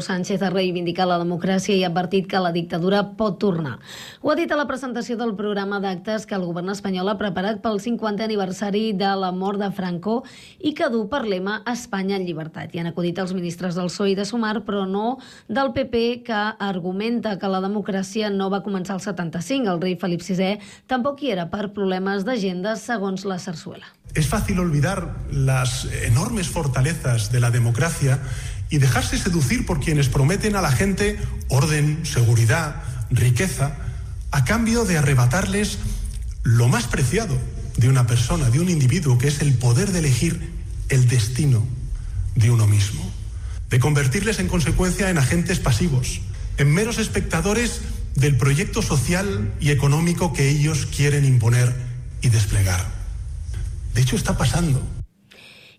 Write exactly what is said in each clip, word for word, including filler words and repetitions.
Sánchez ha reivindicat la democràcia i ha advertit que la dictadura pot tornar. Ho ha dit a la presentació del programa d'actes que el govern espanyol ha preparat pel cinquantè aniversari de la mort de Franco i que du per lema Espanya en llibertat. I han acudit els ministres del P S O E i de Sumar, però no del P P, que argumenta que la democràcia no va començar al setanta-cinc. El rei Felip sisè tampoc hi era per problemes d'agenda, segons la Zarzuela. Es fácil olvidar las enormes fortalezas de la democracia y dejarse seducir por quienes prometen a la gente orden, seguridad, riqueza, a cambio de arrebatarles lo más preciado de una persona, de un individuo, que es el poder de elegir el destino de uno mismo, de convertirles en consecuencia en agentes pasivos, en meros espectadores del proyecto social y económico que ellos quieren imponer y desplegar. De hecho, está pasando.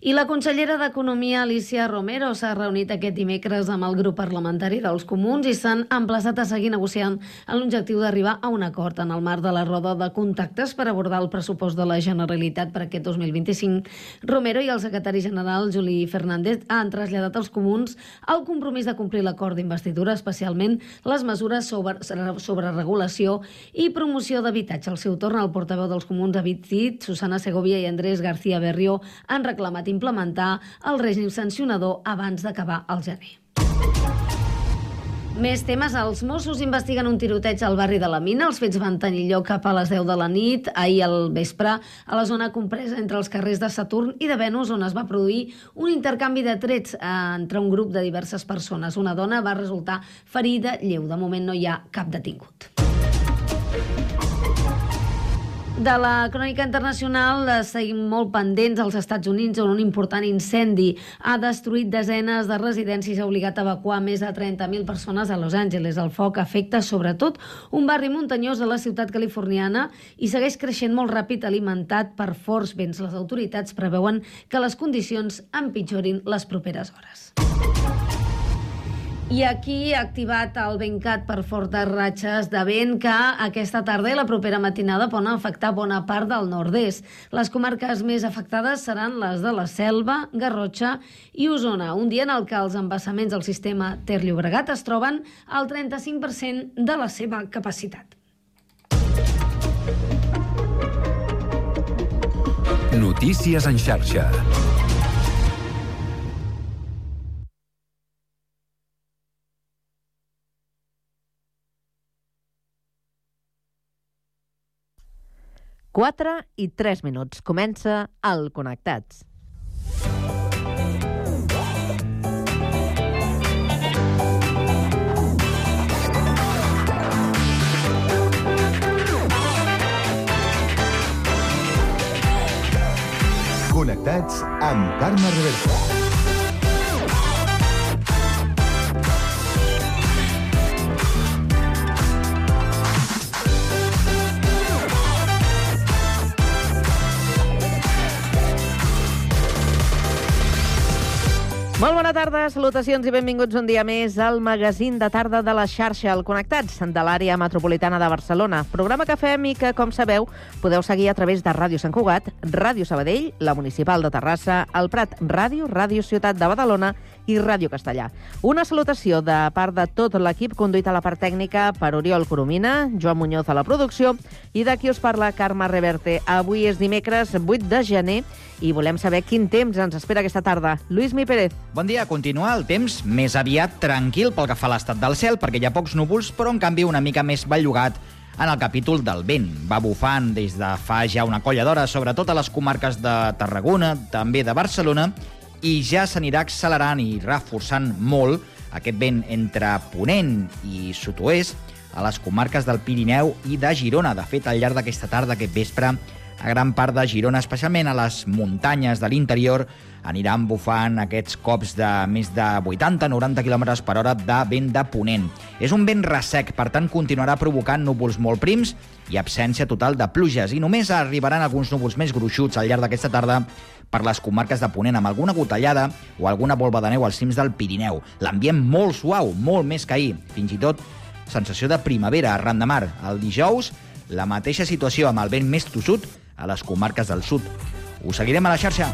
I la consellera d'Economia, Alícia Romero, s'ha reunit aquest dimecres amb el grup parlamentari dels Comuns i s'han emplaçat a seguir negociant amb l'objectiu d'arribar a un acord en el marc de la roda de contactes per abordar el pressupost de la Generalitat per aquest dos mil vint-i-cinc. Romero i el secretari general, Juli Fernández, han traslladat als Comuns el compromís de complir l'acord d'investidura, especialment les mesures sobre, sobre regulació i promoció d'habitatge. Al seu torn, el portaveu dels Comuns ha dit, Susana Segovia i Andrés García Berrio han reclamat implementar el règim sancionador abans d'acabar el gener. Més temes. Els Mossos investiguen un tiroteig al barri de la Mina. Els fets van tenir lloc cap a les deu de la nit, ahir al vespre, a la zona compresa entre els carrers de Saturn i de Venus, on es va produir un intercanvi de trets entre un grup de diverses persones. Una dona va resultar ferida lleu. De moment no hi ha cap detingut. De la crònica internacional seguim molt pendents als Estats Units, on un important incendi ha destruït desenes de residències i ha obligat a evacuar més de trenta mil persones a Los Angeles. El foc afecta sobretot un barri muntanyós de la ciutat californiana i segueix creixent molt ràpid, alimentat per forts vents. Les autoritats preveuen que les condicions empitjorin les properes hores. I aquí ha activat el VentCat per fortes ratxes de vent que aquesta tarda i la propera matinada poden afectar bona part del nord-est. Les comarques més afectades seran les de la Selva, Garrotxa i Osona, un dia en el que els embassaments del sistema Ter-Llobregat es troben al trenta-cinc per cent de la seva capacitat. Notícies en xarxa. quatre i tres minuts. Comença el Connectats. Connectats amb Carme Reversa. Molt bona tarda, salutacions i benvinguts un dia més al magazín de tarda de la xarxa, el Connectats, de l'àrea metropolitana de Barcelona. Programa que fem i que, com sabeu, podeu seguir a través de Ràdio Sant Cugat, Ràdio Sabadell, la Municipal de Terrassa, el Prat Ràdio, Ràdio Ciutat de Badalona i Ràdio Castellà. Una salutació de part de tot l'equip conduït a la part tècnica per Oriol Coromina, Joan Muñoz a la producció i d'aquí us parla Carme Reverte. Avui és dimecres vuit de gener i volem saber quin temps ens espera aquesta tarda. Lluís Mi Pérez. Bon dia. Continua el temps més aviat tranquil pel que fa a l'estat del cel, perquè hi ha pocs núvols, però en canvi una mica més bellugat en el capítol del vent. Va bufant des de fa ja una colla d'hores, sobretot a les comarques de Tarragona, també de Barcelona, i ja s'anirà accelerant i reforçant molt aquest vent entre Ponent i sud-oest a les comarques del Pirineu i de Girona. De fet, al llarg d'aquesta tarda, aquest vespre, a gran part de Girona, especialment a les muntanyes de l'interior, aniran bufant aquests cops de més de vuitanta a noranta quilòmetres per hora de vent de ponent. És un vent ressec, per tant continuarà provocant núvols molt prims i absència total de pluges, i només arribaran alguns núvols més gruixuts al llarg d'aquesta tarda per les comarques de Ponent, amb alguna gotellada o alguna volva de neu als cims del Pirineu. L'ambient molt suau, molt més que ahir, fins i tot sensació de primavera arran de mar. El dijous, la mateixa situació amb el vent més tossut a les comarques del sud. Us seguirem a la xarxa.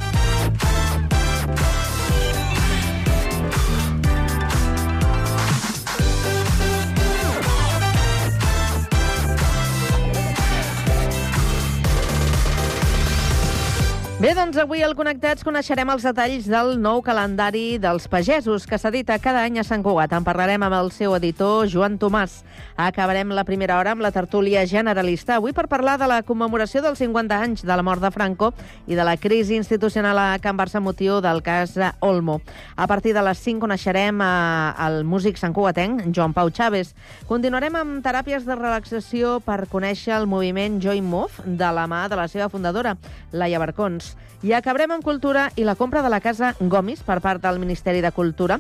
Bé, doncs avui al Connectats coneixerem els detalls del nou calendari dels pagesos que s'edita cada any a Sant Cugat. En parlarem amb el seu editor, Joan Tomàs. Acabarem la primera hora amb la tertúlia generalista, avui per parlar de la commemoració dels cinquanta anys de la mort de Franco i de la crisi institucional a Can Barça motiu del cas Olmo. A partir de les cinc coneixerem el músic santcugatenc, Joan Pau Chaves. Continuarem amb teràpies de relaxació per conèixer el moviment Join Move de la mà de la seva fundadora, Laia Barcons. I acabarem amb cultura i la compra de la Casa Gomis per part del Ministeri de Cultura.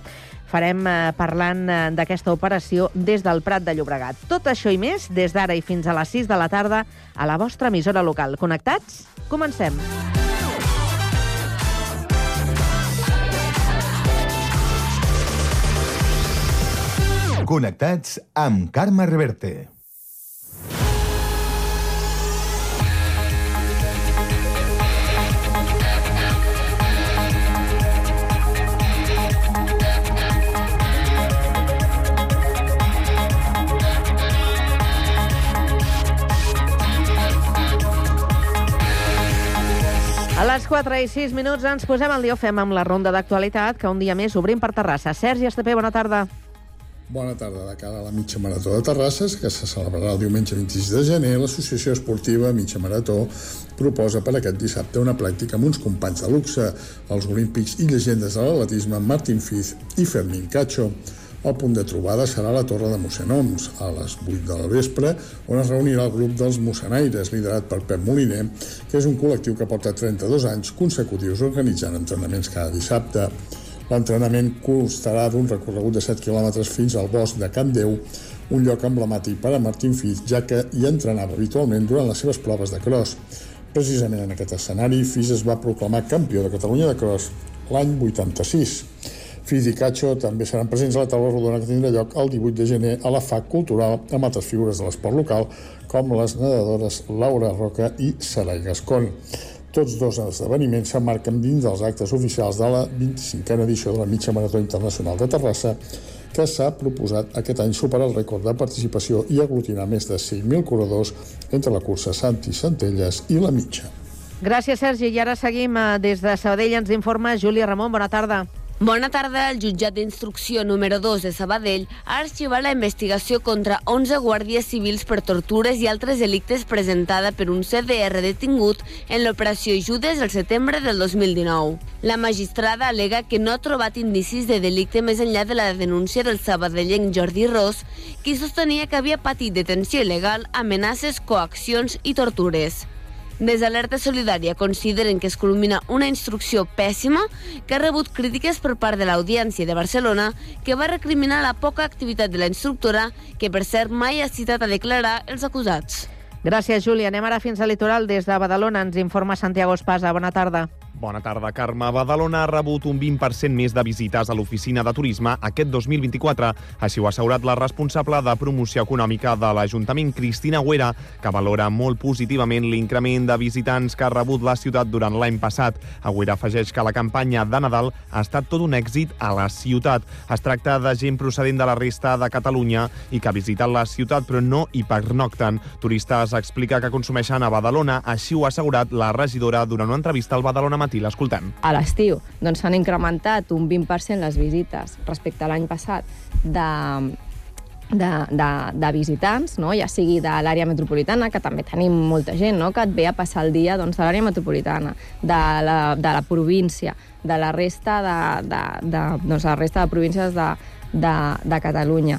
Farem eh, parlant eh, d'aquesta operació des del Prat de Llobregat. Tot això i més des d'ara i fins a les sis de la tarda a la vostra emissora local. Connectats? Comencem. Connectats amb Carme Reverte. A les quatre i sis minuts ens posem al dia, fem amb la ronda d'actualitat, que un dia més obrim per Terrassa. Sergi Estapé, bona tarda. Bona tarda. De cara a la mitja marató de Terrasses, que se celebrarà el diumenge vint-i-sis de gener, l'Associació Esportiva Mitja Marató proposa per aquest dissabte una pràctica amb uns companys de luxe, els olímpics i llegendes de l'atletisme Martín Fiz i Fermín Cacho. El punt de trobada serà la Torre de Mossenoms, a les vuit del vespre, on es reunirà el grup dels Mossenaires, liderat per Pep Moliner, que és un col·lectiu que porta trenta-dos anys consecutius organitzant entrenaments cada dissabte. L'entrenament constarà d'un recorregut de set quilòmetres fins al bosc de Can Déu, un lloc emblemàtic per a Martín Fiz, ja que hi entrenava habitualment durant les seves proves de cross. Precisament en aquest escenari, Fiz es va proclamar campió de Catalunya de cross l'any vuitanta-sis. Fiz i Cacho també seran presents a la taula rodona que tindrà lloc el divuit de gener a la F A C Cultural amb altres figures de l'esport local com les nedadores Laura Roca i Sarai Gascon. Tots dos esdeveniments s'emmarquen dins dels actes oficials de la vint-i-cinquena edició de la Mitja Marató Internacional de Terrassa, que s'ha proposat aquest any superar el rècord de participació i aglutinar més de cinc mil corredors entre la cursa Santi Centelles i la mitja. Gràcies, Sergi. I ara seguim des de Sabadell. Ens informa Júlia Ramon. Bona tarda. Bona tarda. El jutjat d'instrucció número dos de Sabadell ha arxivat la investigació contra onze guàrdies civils per tortures i altres delictes presentada per un C D R detingut en l'operació Judes el setembre del dos mil dinou. La magistrada al·lega que no ha trobat indicis de delicte més enllà de la denúncia del sabadellenc Jordi Ros, qui sostenia que havia patit detenció il·legal, amenaces, coaccions i tortures. Des d'Alerta Solidària consideren que es culmina una instrucció pèssima que ha rebut crítiques per part de l'Audiència de Barcelona, que va recriminar la poca activitat de la instructora, que per cert mai ha citat a declarar els acusats. Gràcies, Júlia. Anem ara fins al litoral. Des de Badalona ens informa Santiago Espasa. Bona tarda. Bona tarda, Carme. Badalona ha rebut un vint per cent més de visites a l'oficina de turisme aquest dos mil vint-i-quatre. Així ho ha assegurat la responsable de promoció econòmica de l'Ajuntament, Cristina Güera, que valora molt positivament l'increment de visitants que ha rebut la ciutat durant l'any passat. Güera afegeix que la campanya de Nadal ha estat tot un èxit a la ciutat. Es tracta de gent procedent de la resta de Catalunya i que ha visitat la ciutat però no hi pernocten. Turistes explica que consumeixen a Badalona, així ho ha assegurat la regidora durant una entrevista al Badalona Matí. L'escoltem. A l'estiu doncs s'han incrementat un vint per cent les visites respecte a l'any passat de, de, de, de visitants, no? Ja sigui de l'àrea metropolitana, que també tenim molta gent, no? Que et ve a passar el dia doncs, de l'àrea metropolitana, de la, de la província, de la resta de, de, de, doncs, la resta de províncies de, de, de Catalunya.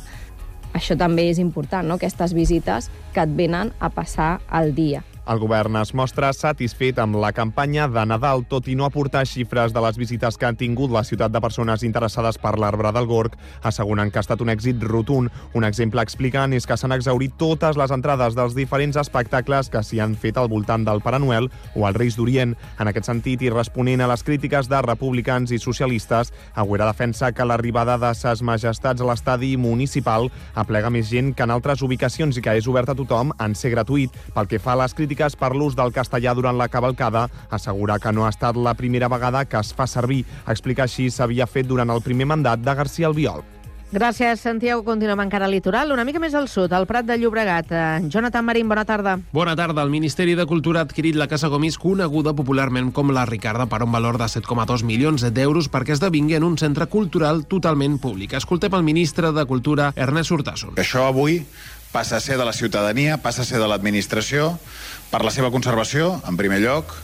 Això també és important, no? Aquestes visites que et venen a passar el dia. El govern es mostra satisfet amb la campanya de Nadal, tot i no aportar xifres de les visites que han tingut la ciutat de persones interessades per l'arbre del Gorg, asseguren que ha estat un èxit rotund. Un exemple explicant és que s'han exhaurit totes les entrades dels diferents espectacles que s'hi han fet al voltant del Pare Noel o els Reis d'Orient. En aquest sentit, i responent a les crítiques de republicans i socialistes, Agüera defensa que l'arribada de ses majestats a l'estadi municipal aplega més gent que en altres ubicacions i que és obert a tothom en ser gratuït. Pel que fa a les crítiques per l'ús del castellà durant la cavalcada, assegura que no ha estat la primera vegada que es fa servir. Explica així s'havia fet durant el primer mandat de García Albiol. Gràcies, Santiago. Continuem encara al litoral, una mica més al sud, al Prat de Llobregat. Jonathan Marín, bona tarda. Bona tarda. El Ministeri de Cultura ha adquirit la Casa Gomis, coneguda popularment com la Ricarda, per un valor de set coma dos milions d'euros perquè esdevingui en un centre cultural totalment públic. Escoltem el ministre de Cultura, Ernest Urtasun. Això avui passa a ser de la ciutadania, passa a ser de l'administració, per la seva conservació, en primer lloc.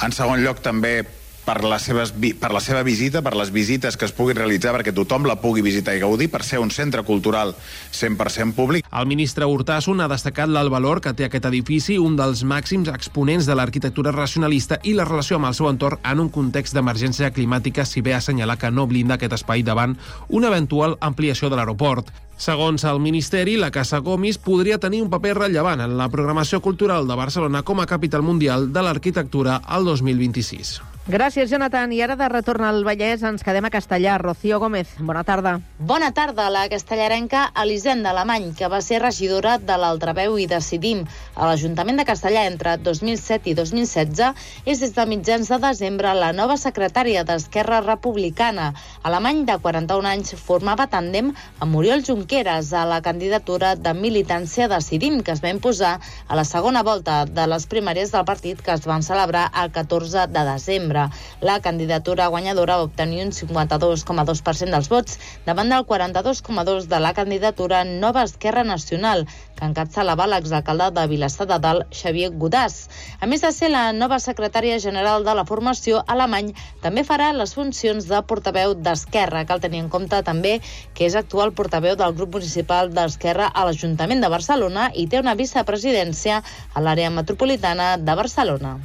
En segon lloc, també per la, seves, per la seva visita, per les visites que es puguin realitzar, perquè tothom la pugui visitar i gaudir, per ser un centre cultural cent per cent públic. El ministre Urtasun ha destacat el valor que té aquest edifici, un dels màxims exponents de l'arquitectura racionalista i la relació amb el seu entorn en un context d'emergència climàtica, si bé assenyalar que no blinda aquest espai davant una eventual ampliació de l'aeroport. Segons el Ministeri, la Casa Gomis podria tenir un paper rellevant en la programació cultural de Barcelona com a capital mundial de l'arquitectura al dos mil vint-i-sis. Gràcies, Jonathan. I ara de retorn al Vallès ens quedem a Castellar. Rocío Gómez, bona tarda. Bona tarda. La castellarenca Elisenda Alemany, que va ser regidora de l'Altraveu i Decidim a l'Ajuntament de Castellar entre dos mil set i dos mil setze, és des de mitjans de desembre la nova secretària d'Esquerra Republicana. Alemany, de quaranta-un anys, formava tàndem amb Oriol Junqueras a la candidatura de militància Decidim, que es va imposar a la segona volta de les primàries del partit que es van celebrar el catorze de desembre. La candidatura guanyadora va obtenir un cinquanta-dos coma dos per cent dels vots davant del quaranta-dos coma dos per cent de la candidatura Nova Esquerra Nacional, que encapçalava l'exalcalde de Vilassar de Dalt, Xavier Godàs. A més de ser la nova secretària general de la formació, Alemany també farà les funcions de portaveu d'Esquerra. Cal tenir en compte també que és actual portaveu del grup municipal d'Esquerra a l'Ajuntament de Barcelona i té una vicepresidència a l'àrea metropolitana de Barcelona.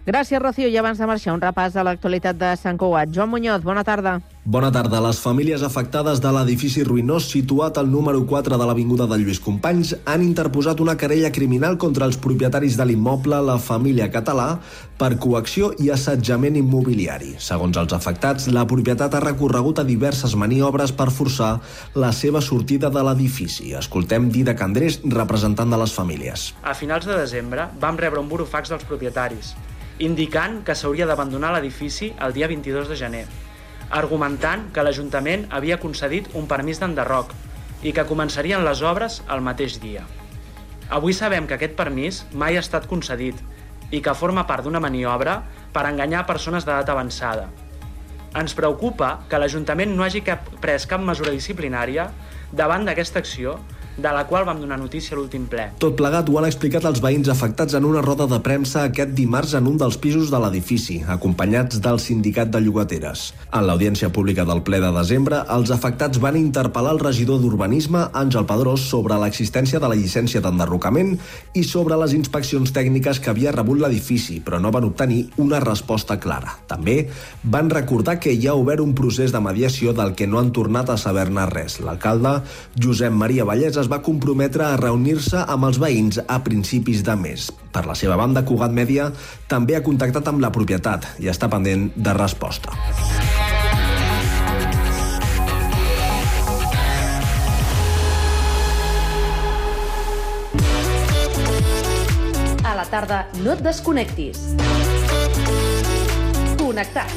Gràcies, Rocío. I abans de marxar, un repàs a l'actualitat de Sant Cugat. Joan Muñoz, bona tarda. Bona tarda. Les famílies afectades de l'edifici ruïnós situat al número quatre de l'Avinguda de Lluís Companys han interposat una querella criminal contra els propietaris de l'immoble La Família Català per coacció i assetjament immobiliari. Segons els afectats, la propietat ha recorregut a diverses maniobres per forçar la seva sortida de l'edifici. Escoltem Didac Andrés, representant de les famílies. A finals de desembre vam rebre un burofax dels propietaris indicant que s'hauria d'abandonar l'edifici el dia vint-i-dos de gener, argumentant que l'Ajuntament havia concedit un permís d'enderroc i que començarien les obres el mateix dia. Avui sabem que aquest permís mai ha estat concedit i que forma part d'una maniobra per enganyar persones d'edat avançada. Ens preocupa que l'Ajuntament no hagi cap, pres cap mesura disciplinària davant d'aquesta acció, de la qual vam donar notícia a l'últim ple. Tot plegat ho han explicat els veïns afectats en una roda de premsa aquest dimarts en un dels pisos de l'edifici, acompanyats del sindicat de llogateres. En l'audiència pública del ple de desembre, els afectats van interpel·lar el regidor d'Urbanisme, Àngel Pedrós, sobre l'existència de la llicència d'enderrocament i sobre les inspeccions tècniques que havia rebut l'edifici, però no van obtenir una resposta clara. També van recordar que hi ha obert un procés de mediació del que no han tornat a saber-ne res. L'alcalde, Josep Maria Vallès, es va comprometre a reunir-se amb els veïns a principis de mes. Per la seva banda, Cugat Mèdia també ha contactat amb la propietat i està pendent de resposta. A la tarda no et desconnectis. Connectats.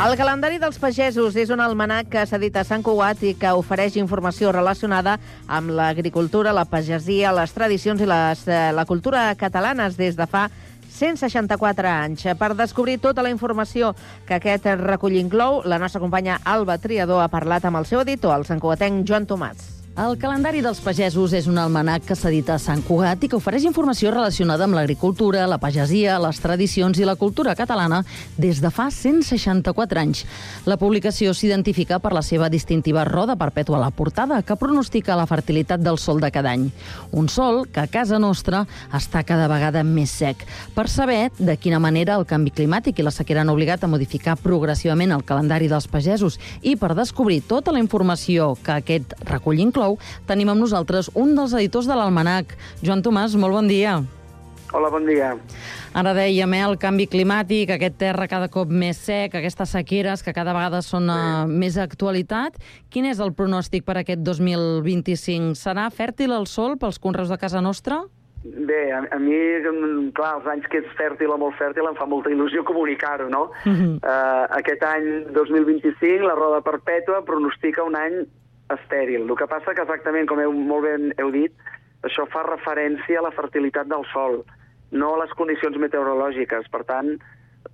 El calendari dels pagesos és un almanac que s'edita a Sant Cugat i que ofereix informació relacionada amb l'agricultura, la pagesia, les tradicions i les, eh, la cultura catalanes des de fa cent seixanta-quatre anys. Per descobrir tota la informació que aquest recull inclou, la nostra companya Alba Triador ha parlat amb el seu editor, el santcugatenc Joan Tomàs. El calendari dels pagesos és un almanac que s'edita a Sant Cugat i que ofereix informació relacionada amb l'agricultura, la pagesia, les tradicions i la cultura catalana des de fa cent seixanta-quatre anys. La publicació s'identifica per la seva distintiva roda perpètua a la portada, que pronostica la fertilitat del sol de cada any. Un sol que a casa nostra està cada vegada més sec. Per saber de quina manera el canvi climàtic i la sequera han obligat a modificar progressivament el calendari dels pagesos i per descobrir tota la informació que aquest recull inclou, tenim amb nosaltres un dels editors de l'almanac. Joan Tomàs, molt bon dia. Hola, bon dia. Ara dèiem, eh, el canvi climàtic, aquest terra cada cop més sec, aquestes sequeres que cada vegada són uh, més actualitat. Quin és el pronòstic per aquest dos mil vint-i-cinc? Serà fèrtil el sol pels conreus de casa nostra? Bé, a, a mi, clar, els anys que és fèrtil o molt fèrtil em fa molta il·lusió comunicar-ho, no? Mhm. Uh, aquest any dos mil vint-i-cinc, la roda perpètua pronostica un any estèril. El que passa que exactament, com heu, molt ben heu dit, això fa referència a la fertilitat del sòl, no a les condicions meteorològiques. Per tant,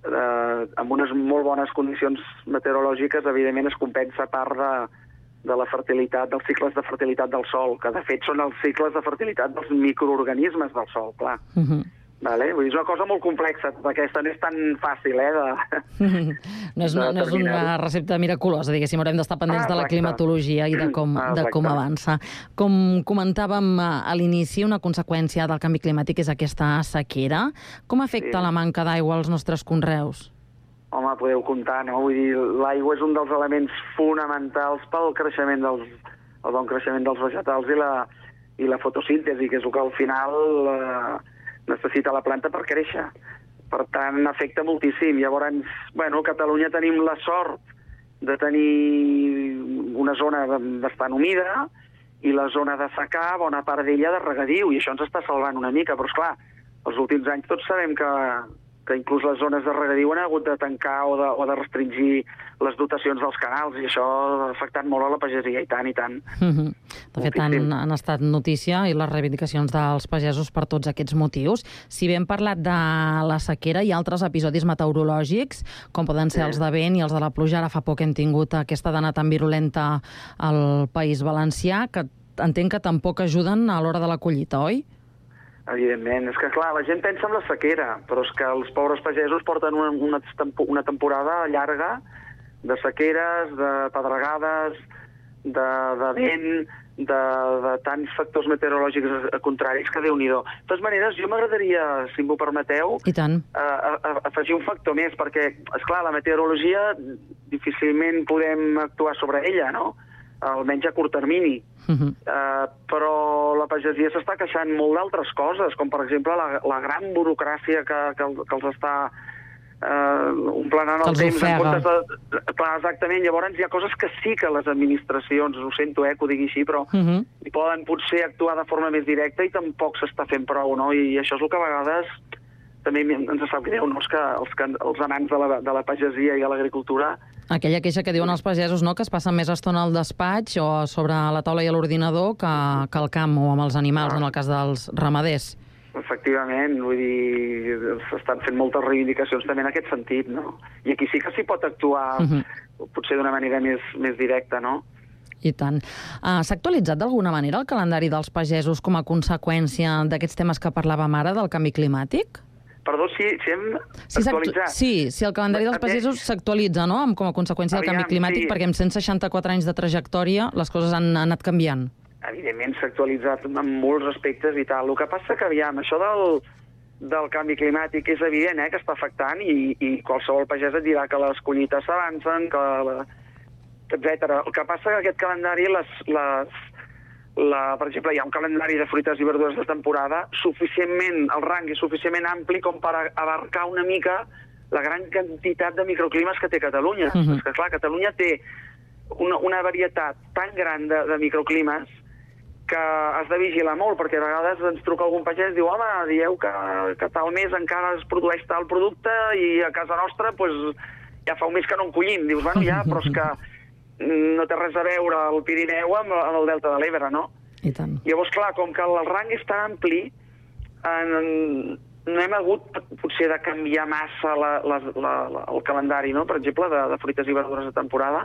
eh, amb unes molt bones condicions meteorològiques, evidentment es compensa part de, de la fertilitat, dels cicles de fertilitat del sòl, que de fet són els cicles de fertilitat dels microorganismes del sòl, clar. Mhm. Vale? Vull dir, és una cosa molt complexa, perquè aquesta no és tan fàcil, eh, de... No és, no és una recepta miraculosa, diguéssim, haurem d'estar pendents Ah, de la exacte. climatologia i de com, Ah, de com exacte. avança. Com comentàvem a l'inici, una conseqüència del canvi climàtic és aquesta sequera. Com afecta Sí. la manca d'aigua als nostres conreus? Home, podeu comptar, no? Vull dir, l'aigua és un dels elements fonamentals pel creixement dels, el bon creixement dels vegetals i la, i la fotosíntesi, que és el que al final eh, necessita la planta per créixer. Per tant, afecta moltíssim. Llavors, bueno, a Catalunya tenim la sort de tenir una zona bastant humida i la zona de secà, bona part d'ella de regadiu, i això ens està salvant una mica. Però, esclar, els últims anys tots sabem que, que inclús les zones de regadiu han hagut de tancar o de, o de restringir les dotacions dels canals, i això ha afectat molt a la pagesia, i tant, i tant. Mhm. De fet, han, han estat notícia i les reivindicacions dels pagesos per tots aquests motius. Si bé hem parlat de la sequera, hi ha altres episodis meteorològics, com poden ser els de vent i els de la pluja. Ara fa poc hem tingut aquesta dana tan virulenta al País Valencià, que entenc que tampoc ajuden a l'hora de la collita, oi? Evidentment. És que, clar, la gent pensa en la sequera, però és que els pobres pagesos porten una, una, una temporada llarga de sequeres, de pedregades, de, de vent, de, de tants factors meteorològics contraris que Déu-n'hi-do. De totes maneres, jo m'agradaria, si m'ho permeteu, I tant. a, a, afegir un factor més, perquè, és clar, la meteorologia difícilment podem actuar sobre ella, no? Almenys a curt termini. Mhm. Uh, però la pagesia s'està queixant molt d'altres coses, com per exemple la, la gran burocràcia que, que, que els està uh, omplenant el Els temps. En ofega. comptes de, clar, exactament. Llavors hi ha coses que sí que les administracions, ho sento eh, que ho digui així, però Mhm. hi poden potser actuar de forma més directa i tampoc s'està fent prou, no? I això és el que a vegades també ens sap greu, no? És que els, que, els amants de la, de la pagesia i de l'agricultura. Aquella queixa que diuen els pagesos, no?, que es passen més estona al despatx o sobre la taula i a l'ordinador que, que al camp o amb els animals, en el cas dels ramaders. Efectivament, vull dir, s'estan fent moltes reivindicacions també en aquest sentit, no? I aquí sí que s'hi pot actuar, Mhm. potser d'una manera més, més directa, no? I tant. Uh, S'ha actualitzat d'alguna manera el calendari dels pagesos com a conseqüència d'aquests temes que parlàvem ara, del canvi climàtic? Perdó, si, si hem Sí, s'actu- actualitzat. sí, sí, el calendari dels pagesos s'actualitza, no?, amb, com a conseqüència del canvi Aviam, climàtic, sí. perquè amb cent seixanta-quatre anys de trajectòria les coses han anat canviant. Evidentment s'ha actualitzat en molts aspectes i tal. El que passa que, aviam, això del, del canvi climàtic és evident eh, que està afectant i, i qualsevol pagès et dirà que les collites s'avancen, que la, etcètera. El que passa que aquest calendari, les, les, la, per exemple, hi ha un calendari de fruites i verdures de temporada suficientment, el rang és suficientment ampli com per abarcar una mica la gran quantitat de microclimes que té Catalunya. Mhm. És que, clar, Catalunya té una, una varietat tan gran de, de microclimes que has de vigilar molt, perquè a vegades ens truca algun pagès i diu, home, dieu que, que tal mes encara es produeix tal producte i a casa nostra pues, ja fa un mes que no en collim. Dius, bueno, ja, però és que no té res a veure el Pirineu amb, amb el Delta de l'Ebre, no? I tant. Llavors, clar, com que el rang és tan ampli, en, no hem hagut potser de canviar massa la, la, la, la, el calendari, no? Per exemple, de, de fruites i verdures de temporada,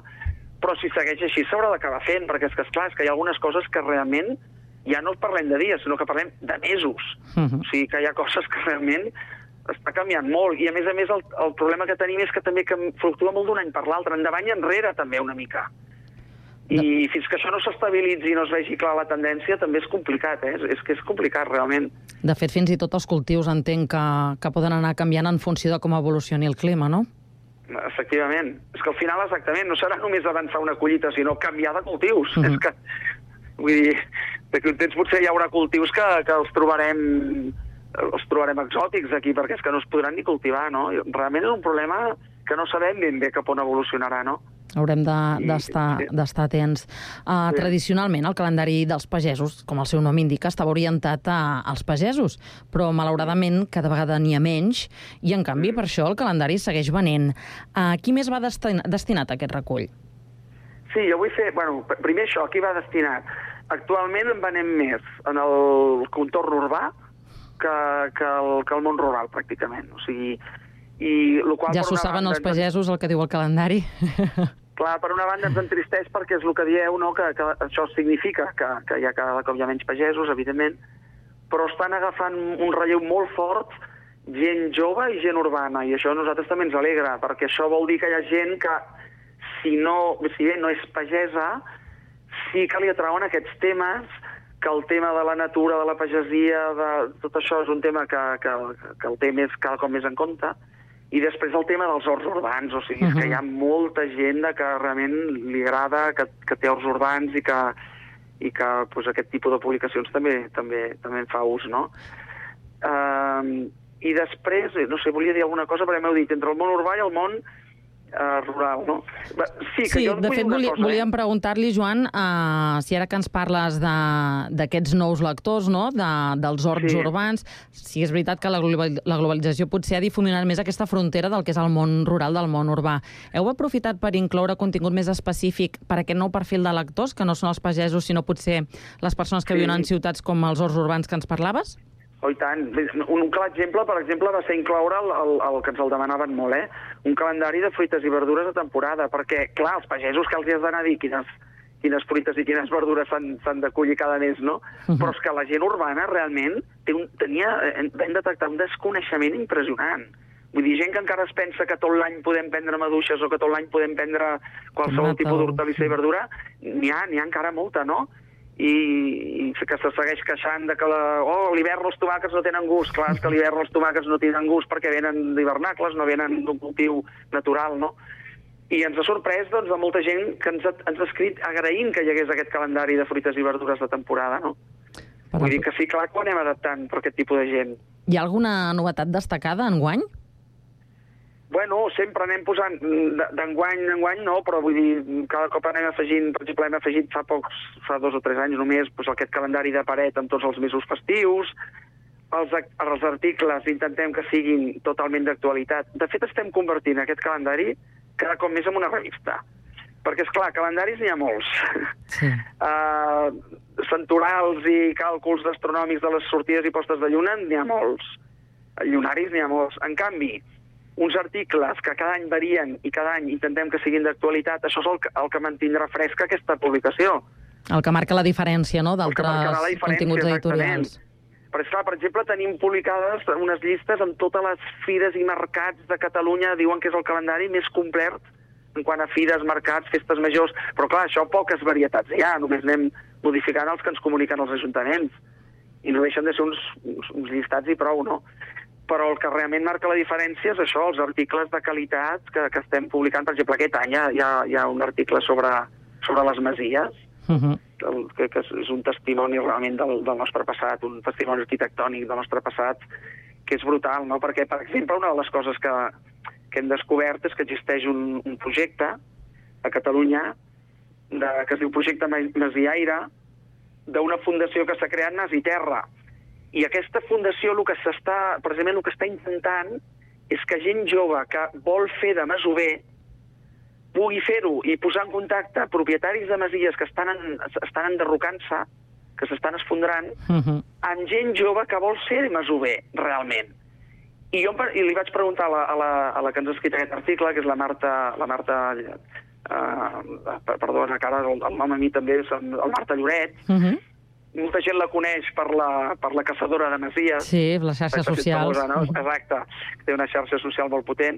però si segueix així s'haurà d'acabar fent, perquè és que, esclar, és que hi ha algunes coses que realment ja no parlem de dies, sinó que parlem de mesos. Mhm. O sigui que hi ha coses que realment està canviant molt, i a més a més el, el problema que tenim és que també que fluctua molt d'un any per l'altre, endavant i enrere també una mica. I fins que això no s'estabilitzi i no es vegi clar la tendència també és complicat, eh? És, és que és complicat realment. De fet, fins i tot els cultius entenc que, que poden anar canviant en funció de com evolucioni el clima, no? Efectivament. És que al final exactament no serà només avançar una collita, sinó canviar de cultius. Mhm. És que, vull dir, d'aquí un temps potser hi haurà cultius que, que els trobarem els trobarem exòtics aquí, perquè és que no es podran ni cultivar, no? Realment és un problema que no sabem ben bé cap on evolucionarà, no? Haurem d'estar de, sí. atents. Uh, sí. Tradicionalment, el calendari dels pagesos, com el seu nom indica, estava orientat a, als pagesos, però malauradament cada vegada n'hi ha menys i, en canvi, per això el calendari segueix venent. Uh, qui més va destin destinat a aquest recull? Sí, jo vull fer... Bueno, primer això, qui va destinat? Actualment en venem més en el contorn urbà que, que, el, que el món rural, pràcticament. O sigui, i lo qual, ja s'ho saben banda, els pagesos, el que diu el calendari. Clar, per una banda ens entristeix perquè és el que dieu, no? que, que això significa que, que hi ha cada cop hi ha menys pagesos, evidentment, però estan agafant un relleu molt fort gent jove i gent urbana, i això a nosaltres també ens alegra, perquè això vol dir que hi ha gent que, si, no, si bé no és pagesa, sí que li atrauen aquests temes, que el tema de la natura, de la pagesia, de tot això és un tema que, que, que el té més, cada cop més en compte. I després el tema dels horts urbans, o sigui, uh-huh. és que hi ha molta gent que realment li agrada, que, que té horts urbans i que, i que pues, aquest tipus de publicacions també també també en fa ús, no? Uh, I després, no sé, volia dir alguna cosa, però m'heu dit, entre el món urbà i el món uh, rural, no? Sí, que sí jo de fet, voli, cosa, volíem eh? preguntar-li, Joan, uh, si ara que ens parles d'aquests nous lectors, no?, de, dels horts sí. urbans, si és veritat que la, global, la globalització potser ha difuminat més aquesta frontera del que és el món rural del món urbà. Heu aprofitat per incloure contingut més específic per aquest nou perfil de lectors, que no són els pagesos, sinó potser les persones que sí. viuen en ciutats com els horts urbans que ens parlaves? Oh, i tant. Un clar exemple, per exemple, va ser incloure el, el, el que ens el demanaven molt, eh? Un calendari de fruites i verdures de temporada, perquè, clar, els pagesos que els hi has d'anar a dir quines, quines fruites i quines verdures s'han de collir cada mes, no? Uh-huh. Però és que la gent urbana realment té un, tenia, vam detectar un desconeixement impressionant. Vull dir, gent que encara es pensa que tot l'any podem prendre maduixes o que tot l'any podem prendre qualsevol Tomata. tipus d'hortalissa i verdura, n'hi ha, n'hi ha encara molta, no? I, i que se segueix queixant de que la, oh, l'hivern els tomàquets no tenen gust. Clar, és que a l'hivern els tomàquets no tenen gust perquè venen d'hivernacles, no venen d'un cultiu natural, no? I ens ha sorprès, doncs, de molta gent que ens ha, ens ha escrit agraint que hi hagués aquest calendari de fruites i verdures de temporada, no? Per Vull dir que sí, clar que ho anem adaptant per aquest tipus de gent. Hi ha alguna novetat destacada enguany? Bueno, sempre anem posant, d'enguany en enguany no, però vull dir, cada cop anem afegint, per exemple, hem afegit fa pocs, fa dos o tres anys només, doncs aquest calendari de paret amb tots els mesos festius, els, els articles intentem que siguin totalment d'actualitat. De fet, estem convertint aquest calendari cada cop més en una revista, perquè, és clar, calendaris n'hi ha molts. Sí. uh, Centorals i càlculs astronòmics de les sortides i postes de lluna n'hi ha molts. Llunaris n'hi ha molts. En canvi, uns articles que cada any varien i cada any intentem que siguin d'actualitat, això és el que, el que mantindrà fresca aquesta publicació. El que marca la diferència, no?, d'altres continguts editorials. Però, esclar, per exemple, tenim publicades unes llistes amb totes les fires i mercats de Catalunya, diuen que és el calendari més complet en quant a fires, mercats, festes majors, però clar, això poques varietats hi ha, només anem modificant els que ens comuniquen els ajuntaments, i no deixen de ser uns, uns, uns llistats i prou, no? Però el que realment marca la diferència és això, els articles de qualitat que, que estem publicant. Per exemple, aquest any hi ha, hi ha un article sobre, sobre les masies, uh-huh. el, que, que és un testimoni realment del, del nostre passat, un testimoni arquitectònic del nostre passat, que és brutal, no? Perquè, per exemple, una de les coses que, que hem descobert és que existeix un, un projecte a Catalunya de, que es diu Projecte Masiaire, d'una fundació que s'ha creat Masiterra. I aquesta fundació el que s'està, precisament el que està intentant és que gent jove que vol fer de masover pugui fer-ho i posar en contacte propietaris de masies que estan, en, estan enderrocant-se, que s'estan esfondrant, uh-huh. amb gent jove que vol ser masover, realment. I jo i li vaig preguntar a la, a, la, a la que ens ha escrit aquest article, que és la Marta... La Marta uh, perdona, que ara el, el nom a mi també és el Marta Lloret, uh-huh. molta gent la coneix per la, per la caçadora de masies. Sí, les xarxes socials. Famosa, no? Exacte, té una xarxa social molt potent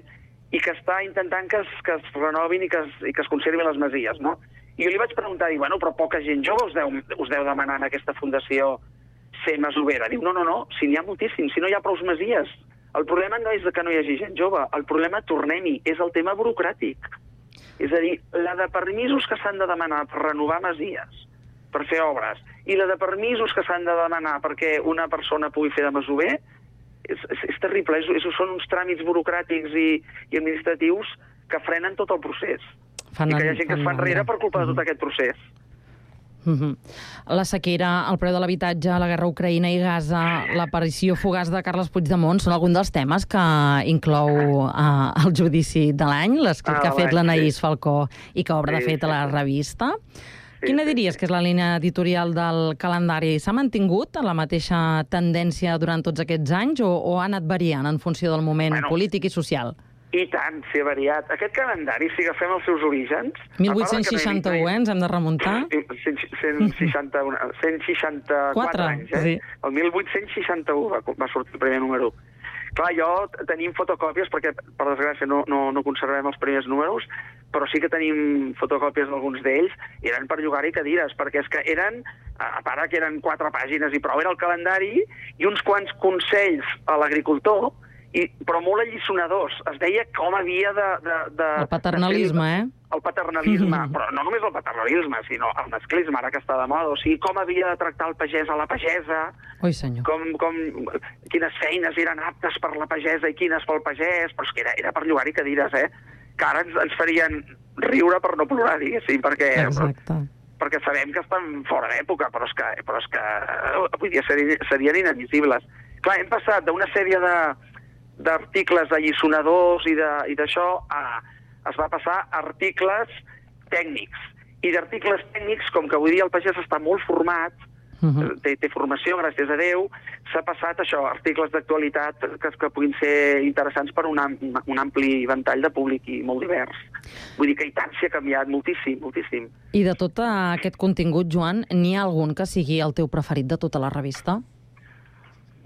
i que està intentant que es, que es renovin i que es, i que es conservin les masies, no? I jo li vaig preguntar, dic, bueno, però poca gent jove us deu, us deu demanar en aquesta fundació ser masovera. Diu, no, no, no, si n'hi ha moltíssim, si no hi ha prou masies. El problema no és que no hi hagi gent jove, el problema, tornem-hi, és el tema burocràtic. És a dir, la de permisos que s'han de demanar per renovar masies, per fer obres, i la de permisos que s'han de demanar perquè una persona pugui fer de masover, és, és, és terrible. És, és, són uns tràmits burocràtics i, i administratius que frenen tot el procés. Fan I que hi ha en- gent que es fan fa enrere mandra. per culpa de tot aquest procés. Mhm. La sequera, el preu de l'habitatge, la guerra a Ucraïna i Gaza, l'aparició fugaç de Carles Puigdemont són alguns dels temes que inclou uh, el judici de l'any, l'escrit Ah, que ha fet l'any, l'Anaïs sí. Falcó i que obre, Sí, de fet, a la sí, sí. revista. Sí, Quina sí, diries que és la línia editorial del calendari? S'ha mantingut la mateixa tendència durant tots aquests anys o, o ha anat variant en funció del moment Bueno. polític i social? I tant, s'hi ha variat. Aquest calendari, si agafem els seus orígens... mil vuit-cents seixanta-u, eh? Ens hem de remuntar? cent seixanta-u, cent seixanta-quatre Quatre, anys, eh? sí. El mil vuit-cents seixanta-u va, va sortir el primer número. Clar, jo tenim fotocòpies, perquè per desgràcia no, no, no conservem els primers números, però sí que tenim fotocòpies d'alguns d'ells, i eren per llogar-hi cadires, perquè és que eren, a part que eren quatre pàgines i prou, era el calendari i uns quants consells a l'agricultor, i, però molt alliçonadors. Es deia com havia de... de, de El paternalisme, de eh? El paternalisme, però no només el paternalisme, sinó el masclisme, ara que està de moda. O sigui, com havia de tractar el pagès a la pagesa, Ui, senyor. com, com, quines feines eren aptes per la pagesa i quines pel pagès, però és que era, era per llogar-hi cadires, eh? Que ara ens, ens farien riure per no plorar, diguéssim, perquè... Exacte. perquè sabem que estan fora d'època, però és que, però és que avui dia serien, serien inadmissibles. Clar, hem passat d'una sèrie de d'articles alliçonadors i d'això a... es va passar a articles tècnics. I d'articles tècnics, com que avui dia el pagès està molt format, Uh-huh. té, té formació, gràcies a Déu, s'ha passat això, articles d'actualitat que, que puguin ser interessants per un, am, un ampli ventall de públic i molt divers. Vull dir que i tant s'hi ha canviat moltíssim, moltíssim. I de tot aquest contingut, Joan, n'hi ha algun que sigui el teu preferit de tota la revista?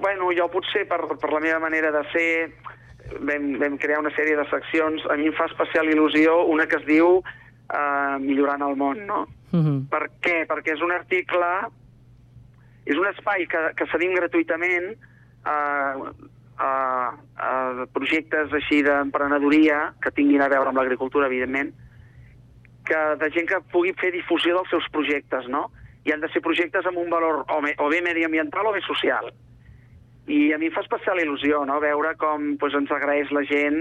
Bueno, jo potser per, per la meva manera de ser vam, vam crear una sèrie de seccions. A mi em fa especial il·lusió una que es diu uh, Millorant el món, no? Uh-huh. Per què? Perquè és un article... És un espai que, que cedim gratuïtament a, a, a projectes així d'emprenedoria que tinguin a veure amb l'agricultura, evidentment, que de gent que pugui fer difusió dels seus projectes, no? I han de ser projectes amb un valor o, me, o bé mediambiental o bé social. I a mi em fa especial il·lusió, no?, veure com doncs, ens agraeix la gent,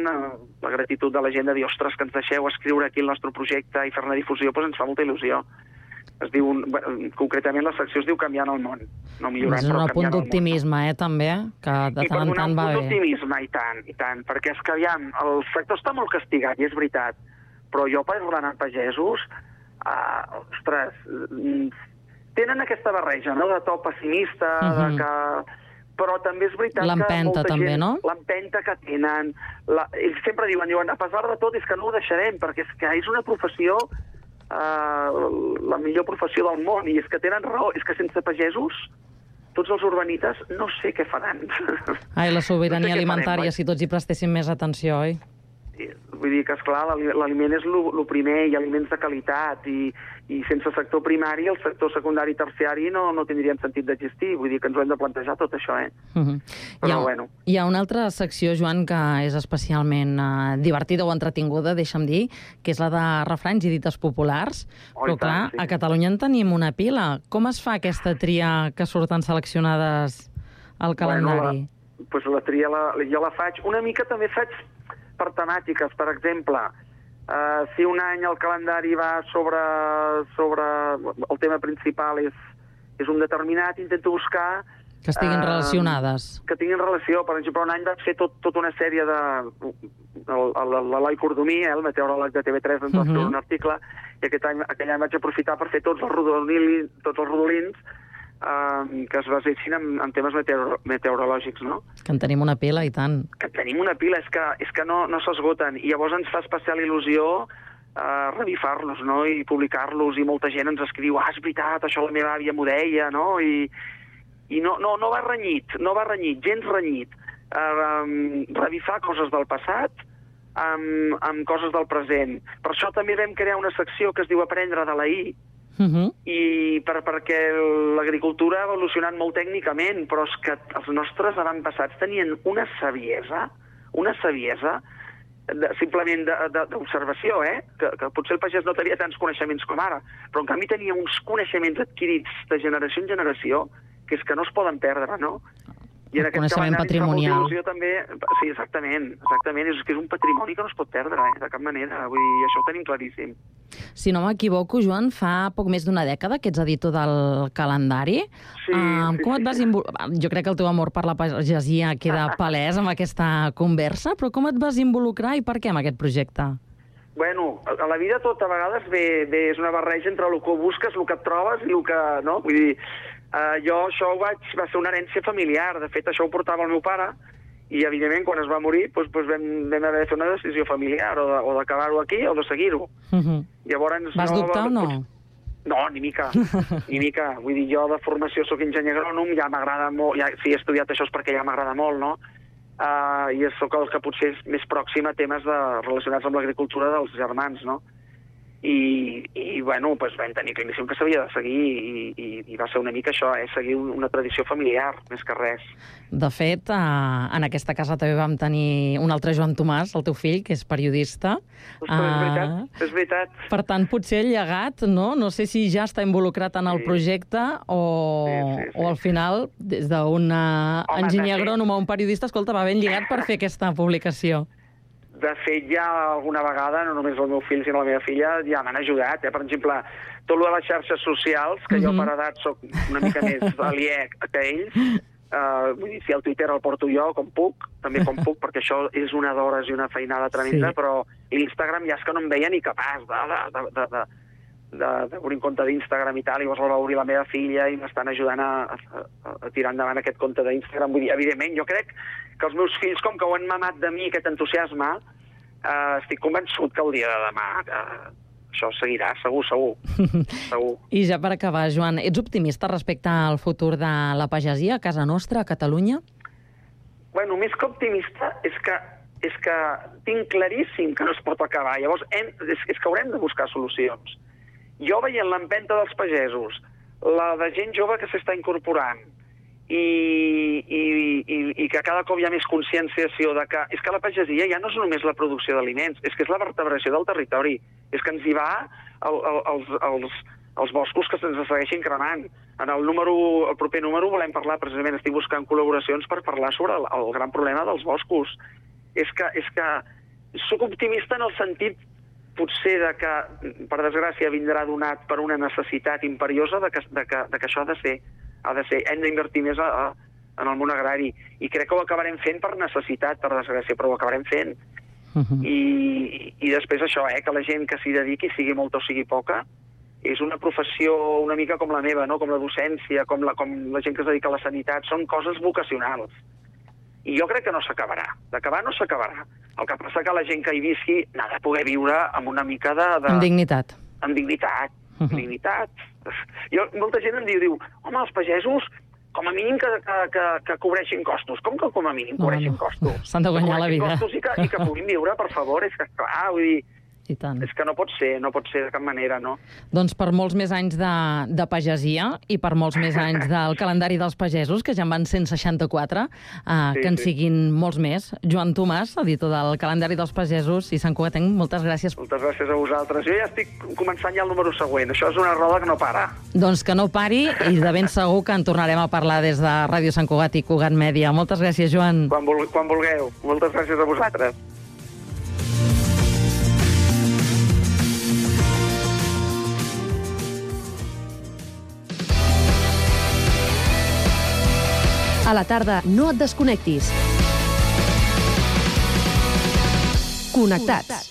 la gratitud de la gent de dir, ostres, que ens deixeu escriure aquí el nostre projecte i fer-ne difusió, doncs ens fa molta il·lusió. Es diu, concretament la secció es diu Canviant el món. No millorant, és un però punt d'optimisme, eh, també, que de I tant en per tant donar va un punt bé. d'optimisme, i tant, i tant, perquè és que, aviam, el sector està molt castigat, i és veritat, però jo parlant amb pagesos, uh, ostres, tenen aquesta barreja, no?, de to pessimista, uh-huh. de que... Però també és veritat que l'empenta, molta també, gent... no? L'empenta que tenen. La... Ells sempre diuen, diuen, a pesar de tot, és que no ho deixarem, perquè és que és una professió... Uh, la millor professió del món, i és que tenen raó, és que sense pagesos tots els urbanites no sé què faran. Ai, la sobirania no sé alimentària, farem, si tots hi prestéssim més atenció, oi? Vull dir que, esclar, l'aliment és el primer, i aliments de qualitat, i, i sense sector primari, el sector secundari i terciari no, no tindrien sentit d'existir. Vull dir que ens ho hem de plantejar tot això, eh? Uh-huh. Però, hi ha, bueno. Hi ha una altra secció, Joan, que és especialment uh, divertida o entretinguda, deixa'm dir, que és la de refranys i dites populars. Oh, Però, clar, tant, sí. a Catalunya en tenim una pila. Com es fa aquesta tria que surten seleccionades al calendari? Bueno, la, pues la tria la, jo la faig. Una mica també faig per temàtiques, per exemple, uh, si un any el calendari va sobre, sobre el tema principal és, és un determinat, intento buscar... Que estiguin uh, relacionades. Que tinguin relació. Per exemple, un any va fer tot, tota una sèrie de... L'Eloi Cordomí, eh, el meteoròleg de T V tres, ens va fer uh-huh. un article, i aquest any, aquell any vaig aprofitar per fer tots els rodolins, tots els rodolins Uh, que es basessin en, en temes meteoro, meteorològics, no? Que en tenim una pila, i tant. Que en tenim una pila, és que, és que no, no s'esgoten. I llavors ens fa especial il·lusió uh, revifar-los, no?, i publicar-los, i molta gent ens escriu, ah, és veritat, això la meva àvia m'ho deia, no?, i, i no, no, no va renyit, no va renyit, gens renyit. Uh, um, revifar coses del passat amb, amb coses del present. Per això també vam crear una secció que es diu Aprendre de la I, Uh-huh. i per, perquè l'agricultura ha evolucionat molt tècnicament, però és que els nostres avantpassats tenien una saviesa, una saviesa de, simplement d'observació, eh? Que, que potser el pagès no tenia tants coneixements com ara, però en canvi tenia uns coneixements adquirits de generació en generació que és que no es poden perdre, no? I en el coneixement patrimonial. També, sí, exactament, exactament. És que és un patrimoni que no es pot perdre, eh, de cap manera. Vull dir, això ho tenim claríssim. Si no m'equivoco, Joan, fa poc més d'una dècada que ets editor del calendari. Sí, um, sí, com sí, et vas sí. involucrar? Jo crec que el teu amor per la pagesia queda palès amb aquesta conversa, però com et vas involucrar i per què amb aquest projecte? Bueno, a la vida tot a vegades ve, ve, és una barreja entre el que busques, el que et trobes i el que... No? Vull dir, uh, jo això ho vaig, va ser una herència familiar. De fet, això ho portava el meu pare i, evidentment, quan es va morir, doncs, doncs vam, vam haver de fer una decisió familiar, o, de, o d'acabar-ho aquí o de seguir-ho. Uh-huh. Llavors, vas no, dubtar o no? No, ni mica, ni mica. Vull dir, jo de formació sóc enginyer agrònom, ja m'agrada molt, ja, si he estudiat això és perquè ja m'agrada molt, no? Uh, I sóc el que potser és més pròxim a temes de, relacionats amb l'agricultura dels germans, no? I, i bueno, doncs vam tenir claríssim que s'havia de seguir i, i, i va ser una mica això, eh? Seguir una tradició familiar, més que res. De fet, eh, en aquesta casa també vam tenir un altre Joan Tomàs, el teu fill, que és periodista. Ostres, és veritat, és veritat. Per tant, potser el llegat, no? No sé si ja està involucrat en el Sí. projecte o, Sí, sí, sí. o al final, des d'un Home, enginyer de fet- agrònom a un periodista, escolta, va ben lligat per fer aquesta publicació. De fet, ja alguna vegada, no només el meu fill, sinó la meva filla, ja m'han ajudat. Eh? Per exemple, tot el de les xarxes socials, que jo Mhm. per edat soc una mica més aliè que ells, uh, vull dir, si el Twitter el porto jo, com puc, també com puc, perquè això és una d'hores i una feinada tremenda, Sí. però l'Instagram ja és que no em veia ni capaç de, de, de, de, de, d'obrir un compte d'Instagram i tal, i llavors el va obrir la meva filla i m'estan ajudant a, a, a tirar endavant aquest compte d'Instagram. Vull dir, evidentment, jo crec que els meus fills, com que ho han mamat de mi, aquest entusiasme, eh, estic convençut que el dia de demà eh, això seguirà, segur, segur. segur. I ja per acabar, Joan, ets optimista respecte al futur de la pagesia a casa nostra, a Catalunya? Bueno, més que optimista, és que, és que tinc claríssim que no es pot acabar. Llavors, hem, és, és que haurem de buscar solucions. Jo veient l'empenta dels pagesos, la de gent jove que s'està incorporant, i, i, i, i que cada cop hi ha més conscienciació de que és que la pagesia ja no és només la producció d'aliments, és que és la vertebració del territori, és que ens hi va el, el, els, els, els boscos que se'ns segueixin cremant. En el, número, el proper número volem parlar, precisament estic buscant col·laboracions per parlar sobre el, el gran problema dels boscos. És que, és que soc optimista en el sentit potser de que, per desgràcia, vindrà donat per una necessitat imperiosa de que, de que, de que això ha de ser. Ha de ser. Hem d'invertir més a, a, en el món agrari. I crec que ho acabarem fent per necessitat, per desgràcia, però ho acabarem fent. Uh-huh. I, I després això, eh, que la gent que s'hi dediqui, sigui molta o sigui poca, és una professió una mica com la meva, no? Com la docència, com la, com la gent que es dedica a la sanitat. Són coses vocacionals. I jo crec que no s'acabarà. D'acabar no s'acabarà. El que passa que la gent que hi visqui n'ha de poder viure amb una mica de... de... Amb dignitat. Amb dignitat. Uh -huh. Dignitat. Jo, molta gent em diu, diu, home, els pagesos, com a mínim que, que, que, que cobreixin costos. Com que com a mínim cobreixin no, no. costos? S'han de guanyar la vida. Costos i que, i que puguin viure, per favor. És que, clar, vull dir... I tant. És que no pot ser, no pot ser de cap manera, no? Doncs per molts més anys de, de pagesia i per molts més anys del calendari dels pagesos, que ja en van cent seixanta-quatre, eh, Sí, que en sí. siguin molts més. Joan Tomàs, editor del calendari dels pagesos i Sant Cugatenc, moltes gràcies. Moltes gràcies a vosaltres. Jo ja estic començant ja el número següent. Això és una roda que no para. Doncs que no pari i de ben segur que en tornarem a parlar des de Ràdio Sant Cugat i Cugat Mèdia. Moltes gràcies, Joan. Quan, vul quan vulgueu. Moltes gràcies a vosaltres. A la tarda, no et desconnectis. Connectats.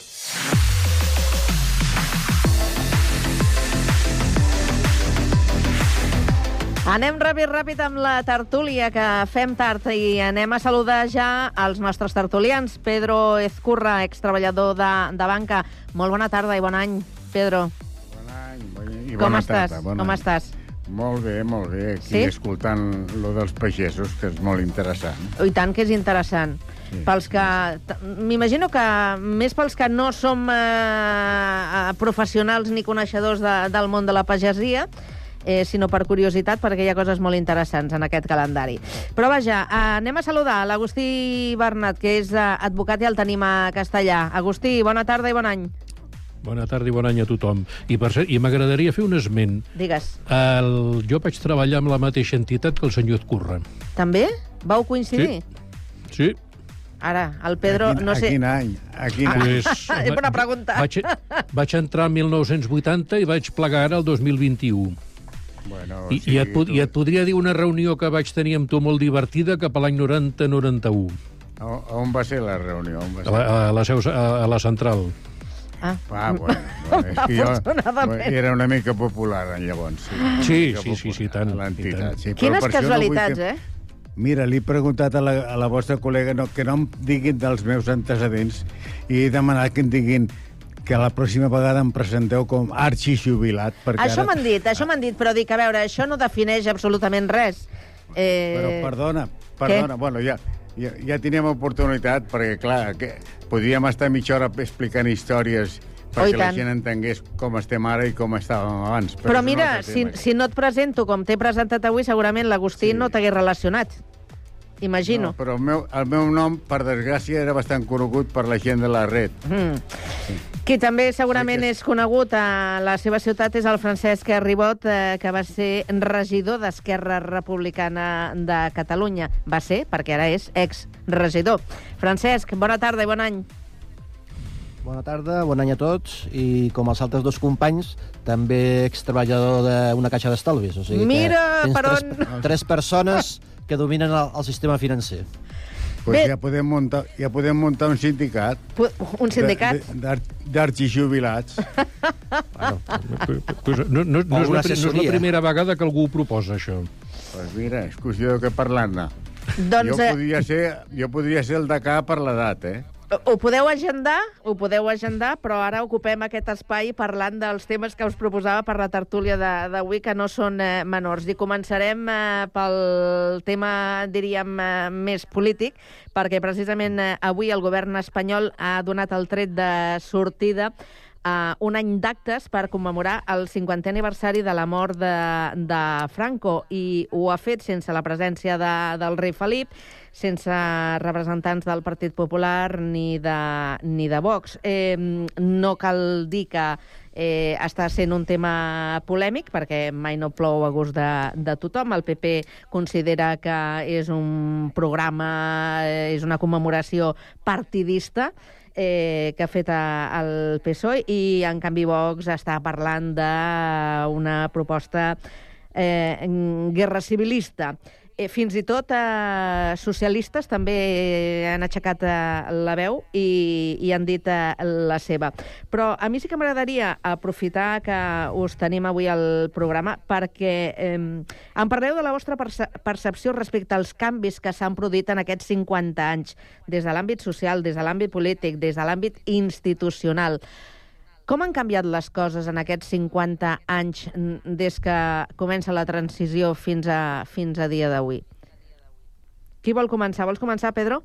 Anem ràpid, ràpid amb la tertúlia, que fem tard, i anem a saludar ja els nostres tertulians. Pedro Ezcurra, extreballador de, de banca. Molt bona tarda i bon any, Pedro. I Com bona estàs? tarda, bon Com any. estàs? Molt bé, molt bé. Aquí Sí? escoltant lo dels pagesos, que és molt interessant. I tant que és interessant. Sí, pels que... t- M'imagino que més pels que no som eh, eh, professionals ni coneixedors de, del món de la pagesia, eh, sinó per curiositat, perquè hi ha coses molt interessants en aquest calendari. Però vaja, eh, anem a saludar l'Agustí Bernat, que és eh, advocat i el tenim a Castellà. Agustí, bona tarda i bon any. Bona tarda i bon any a tothom. I, per cert, i m'agradaria fer un esment. Digues. El, jo vaig treballar amb la mateixa entitat que el senyor Ezcurra. També? Vau coincidir? Sí. Sí. Ara, el Pedro, a quin, no sé... A quin any? A quin Ah, any? pues, és bona pregunta. Vaig, vaig entrar el mil nou-cents vuitanta i vaig plegar ara el dos mil vint-i-u. Bueno, I, sí, i, et, I et podria dir una reunió que vaig tenir amb tu molt divertida cap a l'any noranta noranta-u. A, on va ser la reunió? On va ser? A la, a, la seu, a, a la central. Ah, ah bueno, bueno, és que jo era una mica popular llavors. Sí, sí, sí, sí, tant. A l'entitat, sí. Quines casualitats, no que... eh? Mira, li he preguntat a la, a la vostra col·lega no, que no em diguin dels meus antecedents i he demanat que em diguin que la pròxima vegada em presenteu com arxijubilat. Això ara... m'han dit, això m'han dit, però dic, a veure, això no defineix absolutament res. Eh... Però perdona, perdona, Què? bueno, ja, ja, ja teníem oportunitat, perquè, clar, que podríem estar mitja hora explicant històries perquè la gent entengués com estem ara i com estàvem abans. Però, però mira, no si, si no et presento com t'he presentat avui, segurament l'Agustí sí. no t'hagués relacionat. Imagino. No, però el meu, el meu nom, per desgràcia, era bastant conegut per la gent de la red. Mm. Sí. Qui també segurament és conegut a la seva ciutat és el Francesc Ribot, eh, que va ser regidor d'Esquerra Republicana de Catalunya. Va ser, perquè ara és ex-regidor. Francesc, bona tarda i bon any. Bona tarda, bon any a tots, i com els altres dos companys, també extreballador d'una caixa d'estalvis. O sigui Mira, que per tres, on... tres persones que dominen el, el sistema financer. Pues ja podem, muntar, ja podem muntar un sindicat. Un sindicat? D'arxijubilats. Bueno, pues no, no, no, és la, no és la primera vegada que algú ho proposa, això. Pues mira, és qüestió que parlant-ne. Doncs, jo, podria ser, jo podria ser el decà per l'edat, eh? Ho podeu agendar, ho podeu agendar, però ara ocupem aquest espai parlant dels temes que us proposava per la tertúlia d'avui, que no són eh, menors. I començarem eh, pel tema, diríem, eh, més polític, perquè precisament eh, avui el govern espanyol ha donat el tret de sortida Uh, un any d'actes per commemorar el cinquantè aniversari de la mort de, de Franco, i ho ha fet sense la presència de, del rei Felip, sense representants del Partit Popular ni de, ni de Vox. Eh, no cal dir que eh, està sent un tema polèmic, perquè mai no plou a gust de, de tothom. El P P considera que és un programa, eh, és una commemoració partidista, Eh, que ha fet a, el P S O E, i en canvi Vox està parlant d'una proposta eh, guerra civilista. Eh, fins i tot eh, socialistes també han aixecat eh, la veu i, i han dit eh, la seva. Però a mi sí que m'agradaria aprofitar que us tenim avui al programa perquè eh, em parleu de la vostra perce percepció respecte als canvis que s'han produït en aquests cinquanta anys, des de l'àmbit social, des de l'àmbit polític, des de l'àmbit institucional. Com han canviat les coses en aquests cinquanta anys des que comença la transició fins a, fins a dia d'avui? Qui vol començar? Vols començar, Pedro?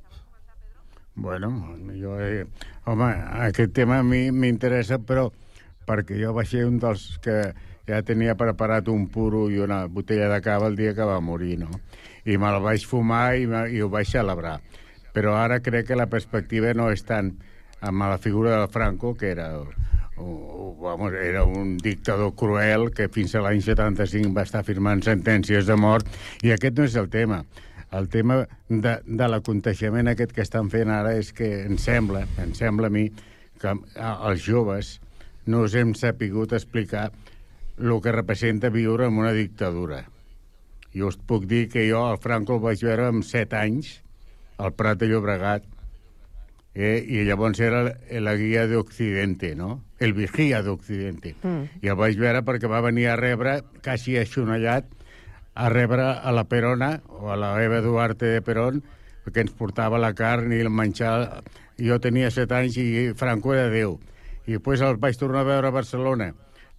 Bueno, jo... Eh, home, aquest tema a mi m'interessa, però perquè jo vaig ser un dels que ja tenia preparat un puro i una botella de cava el dia que va morir, no? I me'l vaig fumar i, i ho vaig celebrar. Però ara crec que la perspectiva no és tant amb la figura del Franco, que era... O, vamos, era un dictador cruel que fins a l'any setanta-cinc va estar firmant sentències de mort, i aquest no és el tema. El tema de, de l'aconteixement aquest que estan fent ara és que em sembla, em sembla a mi, que els joves no us hem sapigut explicar el que representa viure en una dictadura. Jo us puc dir que jo el Franco el vaig veure amb set anys al Prat de Llobregat, Eh, i llavors era la guia d'Occidente, no? El vigía d'Occidente. Mm. I el vaig veure perquè va venir a rebre, quasi aixonallat, a rebre a la Perona, o a la Eva Duarte de Perón, que ens portava la carn i el menjar. Jo tenia set anys i Franco era Déu. I després el vaig tornar a veure a Barcelona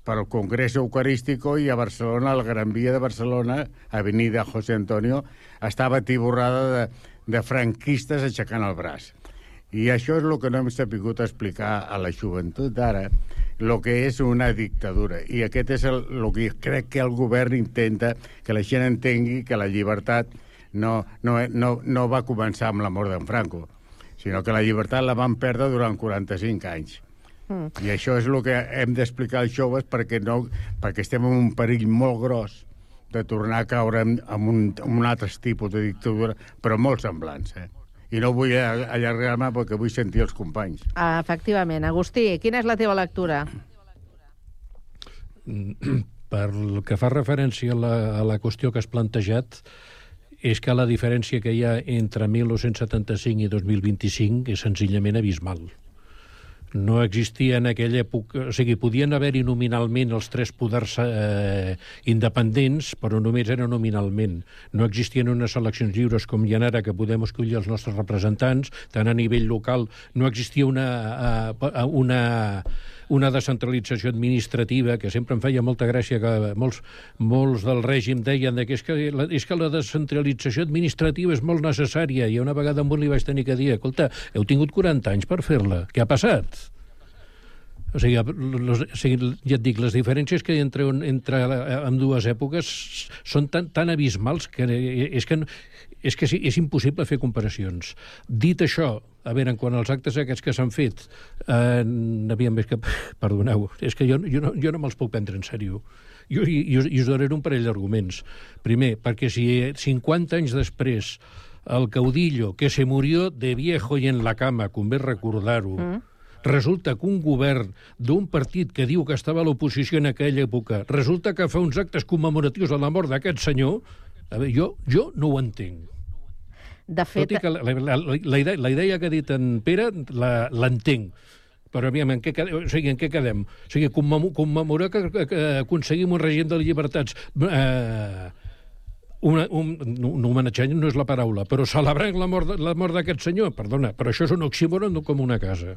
per al Congrés Eucarístico, i a Barcelona, a la Gran Via de Barcelona, avenida José Antonio, estava tiborrada de, de franquistes aixecant el braç. I això és el que no hem sabut explicar a la joventut d'ara, el que és una dictadura. I aquest és el, el que crec que el govern intenta que la gent entengui, que la llibertat no, no, no, no va començar amb la mort d'en Franco, sinó que la llibertat la van perdre durant quaranta-cinc anys. Mm. I això és el que hem d'explicar als joves perquè, no, perquè estem en un perill molt gros de tornar a caure en, en, un, en un altre tipus de dictadura, però molt semblants, eh? I no vull allargar-me perquè vull sentir els companys. Ah, efectivament. Agustí, quina és la teva lectura? Per el que fa referència a la, a la qüestió que has plantejat, és que la diferència que hi ha entre mil nou-cents setanta-cinc i dos mil vint-i-cinc és senzillament abismal. No existia en aquella època... O sigui, podien haver-hi nominalment els tres poders eh, independents, però només era nominalment. No existien unes eleccions lliures com hi ha ara, que podem escollir els nostres representants, tant a nivell local. No existia una, uh, una, una descentralització administrativa, que sempre em feia molta gràcia que molts, molts del règim deien que és, que la, és que la descentralització administrativa és molt necessària, i una vegada amb un li vaig tenir que dir, escolta, heu tingut quaranta anys per fer-la, què ha passat? O sigui, los, o sigui, ja et dic, les diferències que hi ha entre, entre ambdues èpoques són tan, tan abismals que és que, és que és impossible fer comparacions. Dit això, a veure, quan els actes aquests que s'han fet, eh, aviam, és que, perdoneu, és que jo, jo, no, jo no me'ls puc prendre en sèrio. Jo, i, i, us, I us donaré un parell d'arguments. Primer, perquè si cinquanta anys després el caudillo que se murió de viejo y en la cama, convé recordar-ho, mm. resulta que un govern d'un partit que diu que estava a l'oposició en aquella època, resulta que fa uns actes commemoratius de la mort d'aquest senyor, a veure, jo, jo no ho entenc. De fet... Tot i que la, la, la, la, idea, la idea que ha dit en Pere l'entenc, però aviam, en què quedem? O sigui, en què quedem? O sigui, commemorar que, que, que aconseguim un règim de llibertats... Eh, Una, un, un homenatge no és la paraula, però celebrant la mort, la mort d'aquest senyor, perdona, però això és un oxímoron com una casa.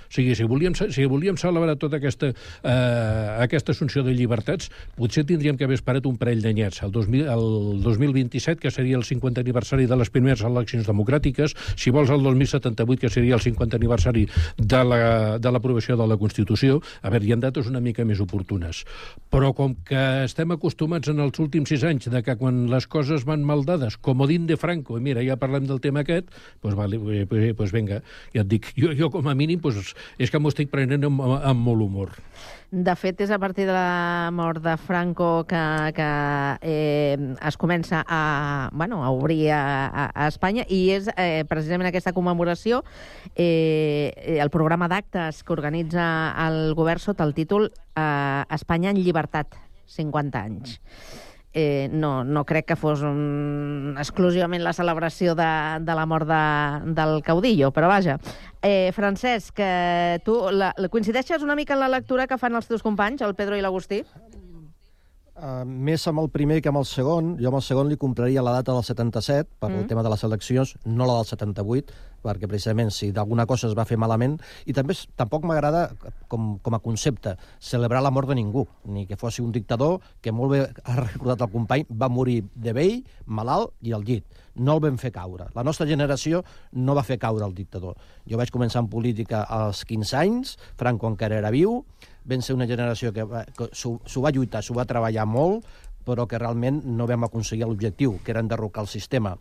O sigui, si volíem, si volíem celebrar tota aquesta, eh, aquesta assumpció de llibertats, potser tindríem que haver esperat un parell d'anyets, el, el dos mil vint-i-set, que seria el cinquanta aniversari de les primeres eleccions democràtiques, si vols el dos mil setanta-vuit, que seria el cinquanta aniversari de l'aprovació la, de la Constitució. A veure, hi ha dates una mica més oportunes. Però com que estem acostumats en els últims sis anys de que quan les coses van mal dades, comodín de Franco, i mira, ja parlem del tema aquest, doncs vale, pues, pues venga, ja et dic, jo, jo com a mínim, pues, és que m'ho estic prenent amb, amb molt humor. De fet, és a partir de la mort de Franco que, que eh, es comença a, bueno, a obrir a, a Espanya, i és eh, precisament aquesta commemoració, eh, el programa d'actes que organitza el govern sota el títol eh, Espanya en llibertat, cinquanta anys. Eh, no, no crec que fos un, exclusivament la celebració de, de la mort de, del caudillo, però vaja. Eh, Francesc, que tu la, la coincideixes una mica en la lectura que fan els teus companys, el Pedro i l'Agustí? Uh, més amb el primer que amb el segon. Jo amb el segon li compraria la data del setanta-set, per mm. el tema de les eleccions, no la del setanta-vuit, perquè precisament si d'alguna cosa es va fer malament, i també tampoc m'agrada com, com a concepte celebrar la mort de ningú, ni que fos un dictador que, molt bé ha recordat el company, va morir de vell, malalt i al llit. No el vam fer caure. La nostra generació no va fer caure el dictador. Jo vaig començar en política als quinze anys, Franco encara era viu, vam ser una generació que, que s'ho va lluitar, s'ho va treballar molt, però que realment no vam aconseguir l'objectiu, que era enderrocar el sistema.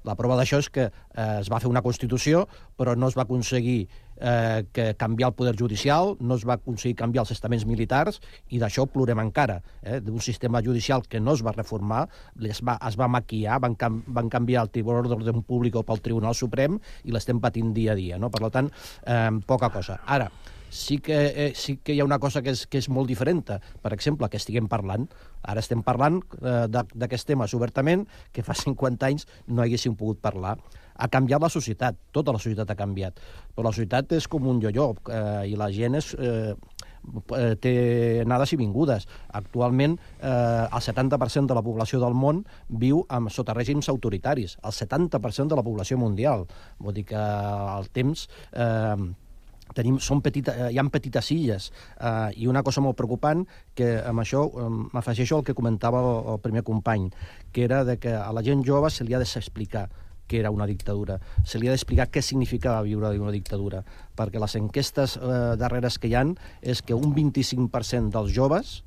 La prova d'això és que eh, es va fer una Constitució, però no es va aconseguir eh, que canviar el poder judicial, no es va aconseguir canviar els estaments militars, i d'això plorem encara, eh, d'un sistema judicial que no es va reformar, es va, es va maquillar, van, cam, van canviar el Tribunal d'Ordre Públic pel Tribunal Suprem, i l'estem patint dia a dia, no? Per tant, eh, poca cosa. Ara, sí que, eh, sí que hi ha una cosa que és, que és molt diferent. Per exemple, que estiguem parlant, ara estem parlant eh, d'aquests temes obertament, que fa cinquanta anys no haguéssim pogut parlar. Ha canviat la societat, tota la societat ha canviat, però la societat és com un yo-yo, eh, i la gent és... Eh, té anades i vingudes. Actualment, eh, el setanta per cent de la població del món viu amb, sota règims autoritaris, el setanta per cent de la població mundial. Vull dir que el temps... Eh, Tenim, són petita, hi ha petites illes, eh, i una cosa molt preocupant, que amb això eh, m'afegeixo al que comentava el, el primer company, que era de que a la gent jove se li ha d'explicar què era una dictadura, se li ha d'explicar què significava viure en una dictadura, perquè les enquestes eh, darreres que hi ha és que un vint-i-cinc per cent dels joves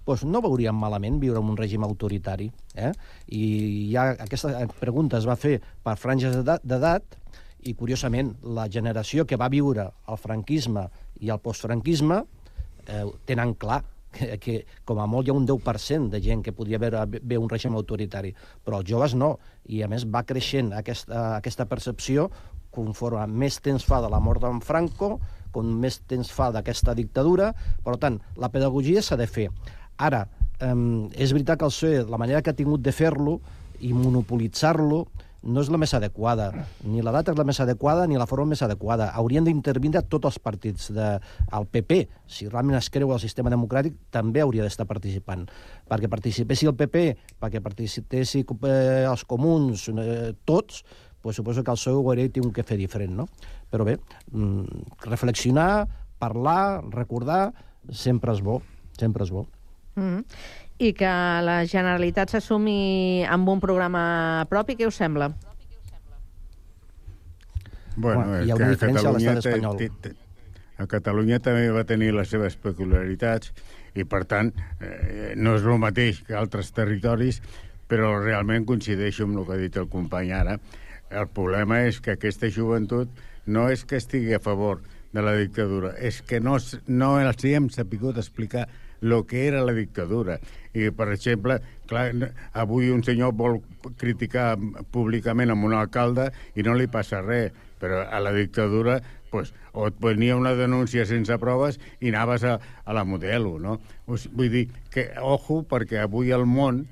doncs no veurien malament viure en un règim autoritari. Eh? I ja aquesta pregunta es va fer per franges d'edat, I, curiosament, la generació que va viure el franquisme i el postfranquisme eh, tenen clar que, que com a molt hi ha un deu per cent de gent que podria veure bé un règim autoritari, però els joves no, i a més va creixent aquesta, aquesta percepció conforme més temps fa de la mort d'en Franco, com més temps fa d'aquesta dictadura. Per tant, la pedagogia s'ha de fer. Ara, eh, és veritat que el P S O E, la manera que ha tingut de fer-lo i monopolitzar-lo, no és la més adequada. Ni la data és la més adequada ni la forma més adequada. Haurien d'intervindre tots els partits. De, el P P, si realment es creu el sistema democràtic, també hauria d'estar participant. Perquè participessi el P P, perquè participessi eh, els comuns, eh, tots, pues suposo que el P S O E ho hauria tingut que fer diferent, no? Però bé, mm, reflexionar, parlar, recordar, sempre és bo, sempre és bo. Mm-hmm. I que la Generalitat s'assumi amb un programa propi, què us sembla? Bueno, Bueno, és hi ha que una a diferència a Catalunya, l'estat té- espanyol. té- té- a Catalunya també va tenir les seves peculiaritats i, per tant, eh, no és el mateix que altres territoris, però realment coincideixo amb el que ha dit el company ara. El problema és que aquesta joventut no és que estigui a favor de la dictadura, és que no, s- no els hi hem sapigut explicar el que era la dictadura. I, per exemple, clar, n- avui un senyor vol criticar públicament amb un alcalde i no li passa res, però a la dictadura pues, o et venia una denúncia sense proves i anaves a, a la modelo, no? Vull dir que, ojo, perquè avui el món,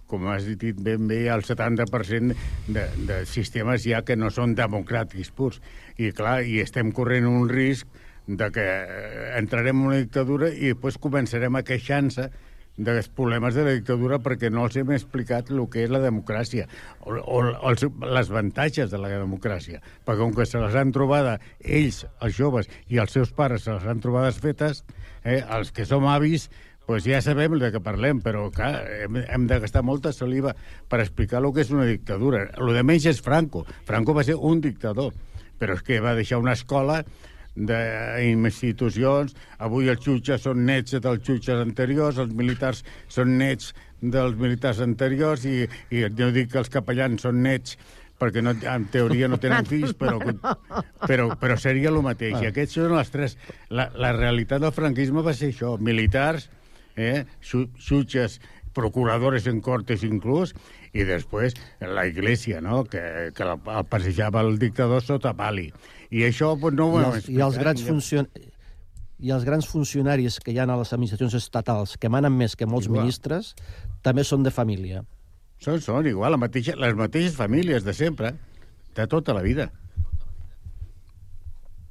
com has dit ben bé, el setanta per cent de, de sistemes ja que no són democràtics purs. I, clar, i estem corrent un risc de que entrarem en una dictadura i després començarem a queixar-se dels problemes de la dictadura perquè no els hem explicat el que és la democràcia o, o els, les avantatges de la democràcia. Perquè com que se les han trobat ells, els joves, i els seus pares se les han trobades fetes, eh, els que som avis, pues ja sabem de què parlem, però clar, hem, hem de gastar molta saliva per explicar el que és una dictadura. El de menys és Franco. Franco va ser un dictador, però és que va deixar una escola d'institucions. Avui els jutges són nets dels jutges anteriors, els militars són nets dels militars anteriors i, i no dic que els capellans són nets perquè no, en teoria no tenen fills, però, però, però seria el mateix. I aquests són els tres. La, la realitat del franquisme va ser això, militars, eh, jutges, procuradores en cortes inclús, i després la Iglesia, no?, que, que el passejava el dictador sota pali. I això pues, no ho I hem els, i els grans explicat. funcion... I els grans funcionaris que hi ha a les administracions estatals, que manen més que molts Igual. ministres, també són de família. Són, són igual, la mateixa, les mateixes famílies de sempre, de tota la vida.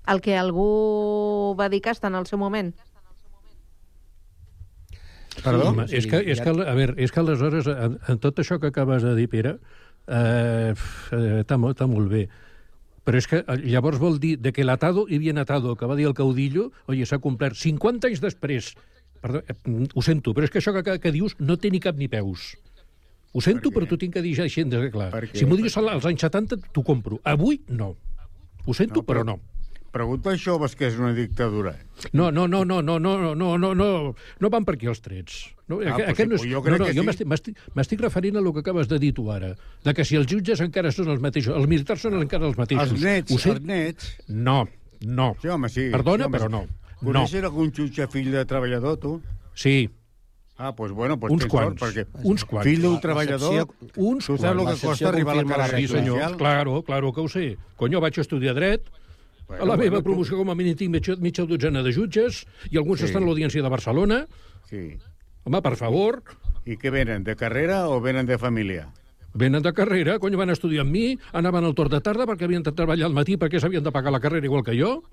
El que algú va dir que està en el seu moment. Perdó? Home, és que, és que, a veure, és que aleshores, en, en tot això que acabes de dir, Pere, eh, eh, està, molt, està molt bé. Però és que llavors vol dir de que l'atado y bien atado, que va dir el caudillo, oi, s'ha complert cinquanta anys després. Perdó, eh, ho sento, però és que això que, que dius no té ni cap ni peus. Ho sento, però t'ho tinc que dir ja així de clar. Si m'ho dius als anys setanta, t'ho compro. Avui, no. Ho sento, no, però, però no. Pregunta als joves què és una dictadura. No, no, no, no, no, no, no, no, no, no van per aquí els trets. No, Ah, aquest, pues sí, no és, jo crec no, no, que jo sí. m'estic- m'estic m'estic referint a el que acabes de dir tu ara, de que si els jutges encara són els mateixos, els militars són encara els mateixos. Els nets, Ho sé? els nets. No, no. Sí, home, sí. Perdona, sí, home, però no. Coneixes No. algun jutge fill de treballador, tu? Sí. Ah, doncs pues bueno, pues Uns tens sort, quants, perquè uns quants. fill d'un La- treballador, l'excepció- uns tu saps el quants. que costa arribar a la carrera Sí, senyor, judicial? claro, claro que ho sé. Conyo, vaig estudiar dret, Bueno, a la meva bueno, tu- promoció com a mínim tinc mitja, mitja dotzena de jutges, i alguns Sí. estan a l'Audiència de Barcelona. Sí. Home, per favor. I què venen, de carrera o venen de família? Venen de carrera, cony, van estudiar amb mi, anaven al torn de tarda perquè havien de treballar al matí perquè s'havien de pagar la carrera igual que jo.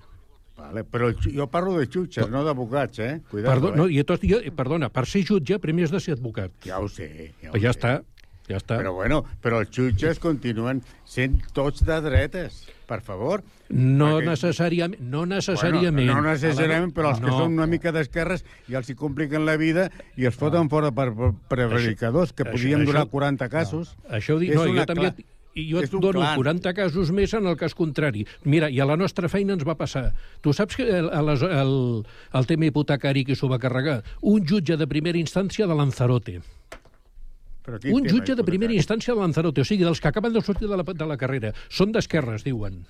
Vale, però jo parlo de jutges, no, no d'advocats, eh? Cuidado, Perdó, eh? no, i tot, jo, perdona, per ser jutge primer has de ser advocat. Ja ho sé. Ja, ho Però ja sé. està, ja està. Però bueno, però els jutges continuen sent tots de dretes, per favor. No Perquè- necessàriament, no necessàriament. Bueno, no necessàriament, però els que No. són una mica d'esquerres i els hi compliquen la vida i els foten fora per, per prevaricadors, que Això- podien això- durar quaranta casos. No. Això ho dic, És no, jo una també... cla- I jo és et un dono clan. quaranta casos més en el cas contrari. Mira, i a la nostra feina ens va passar. Tu saps que el, el, el, el tema hipotecari que s'ho va carregar? Un jutge de primera instància de Lanzarote. Però quin Un tema jutge de primera hipotecari? instància de Lanzarote, o sigui, dels que acaben de sortir de la, de la carrera. Són d'esquerres, diuen.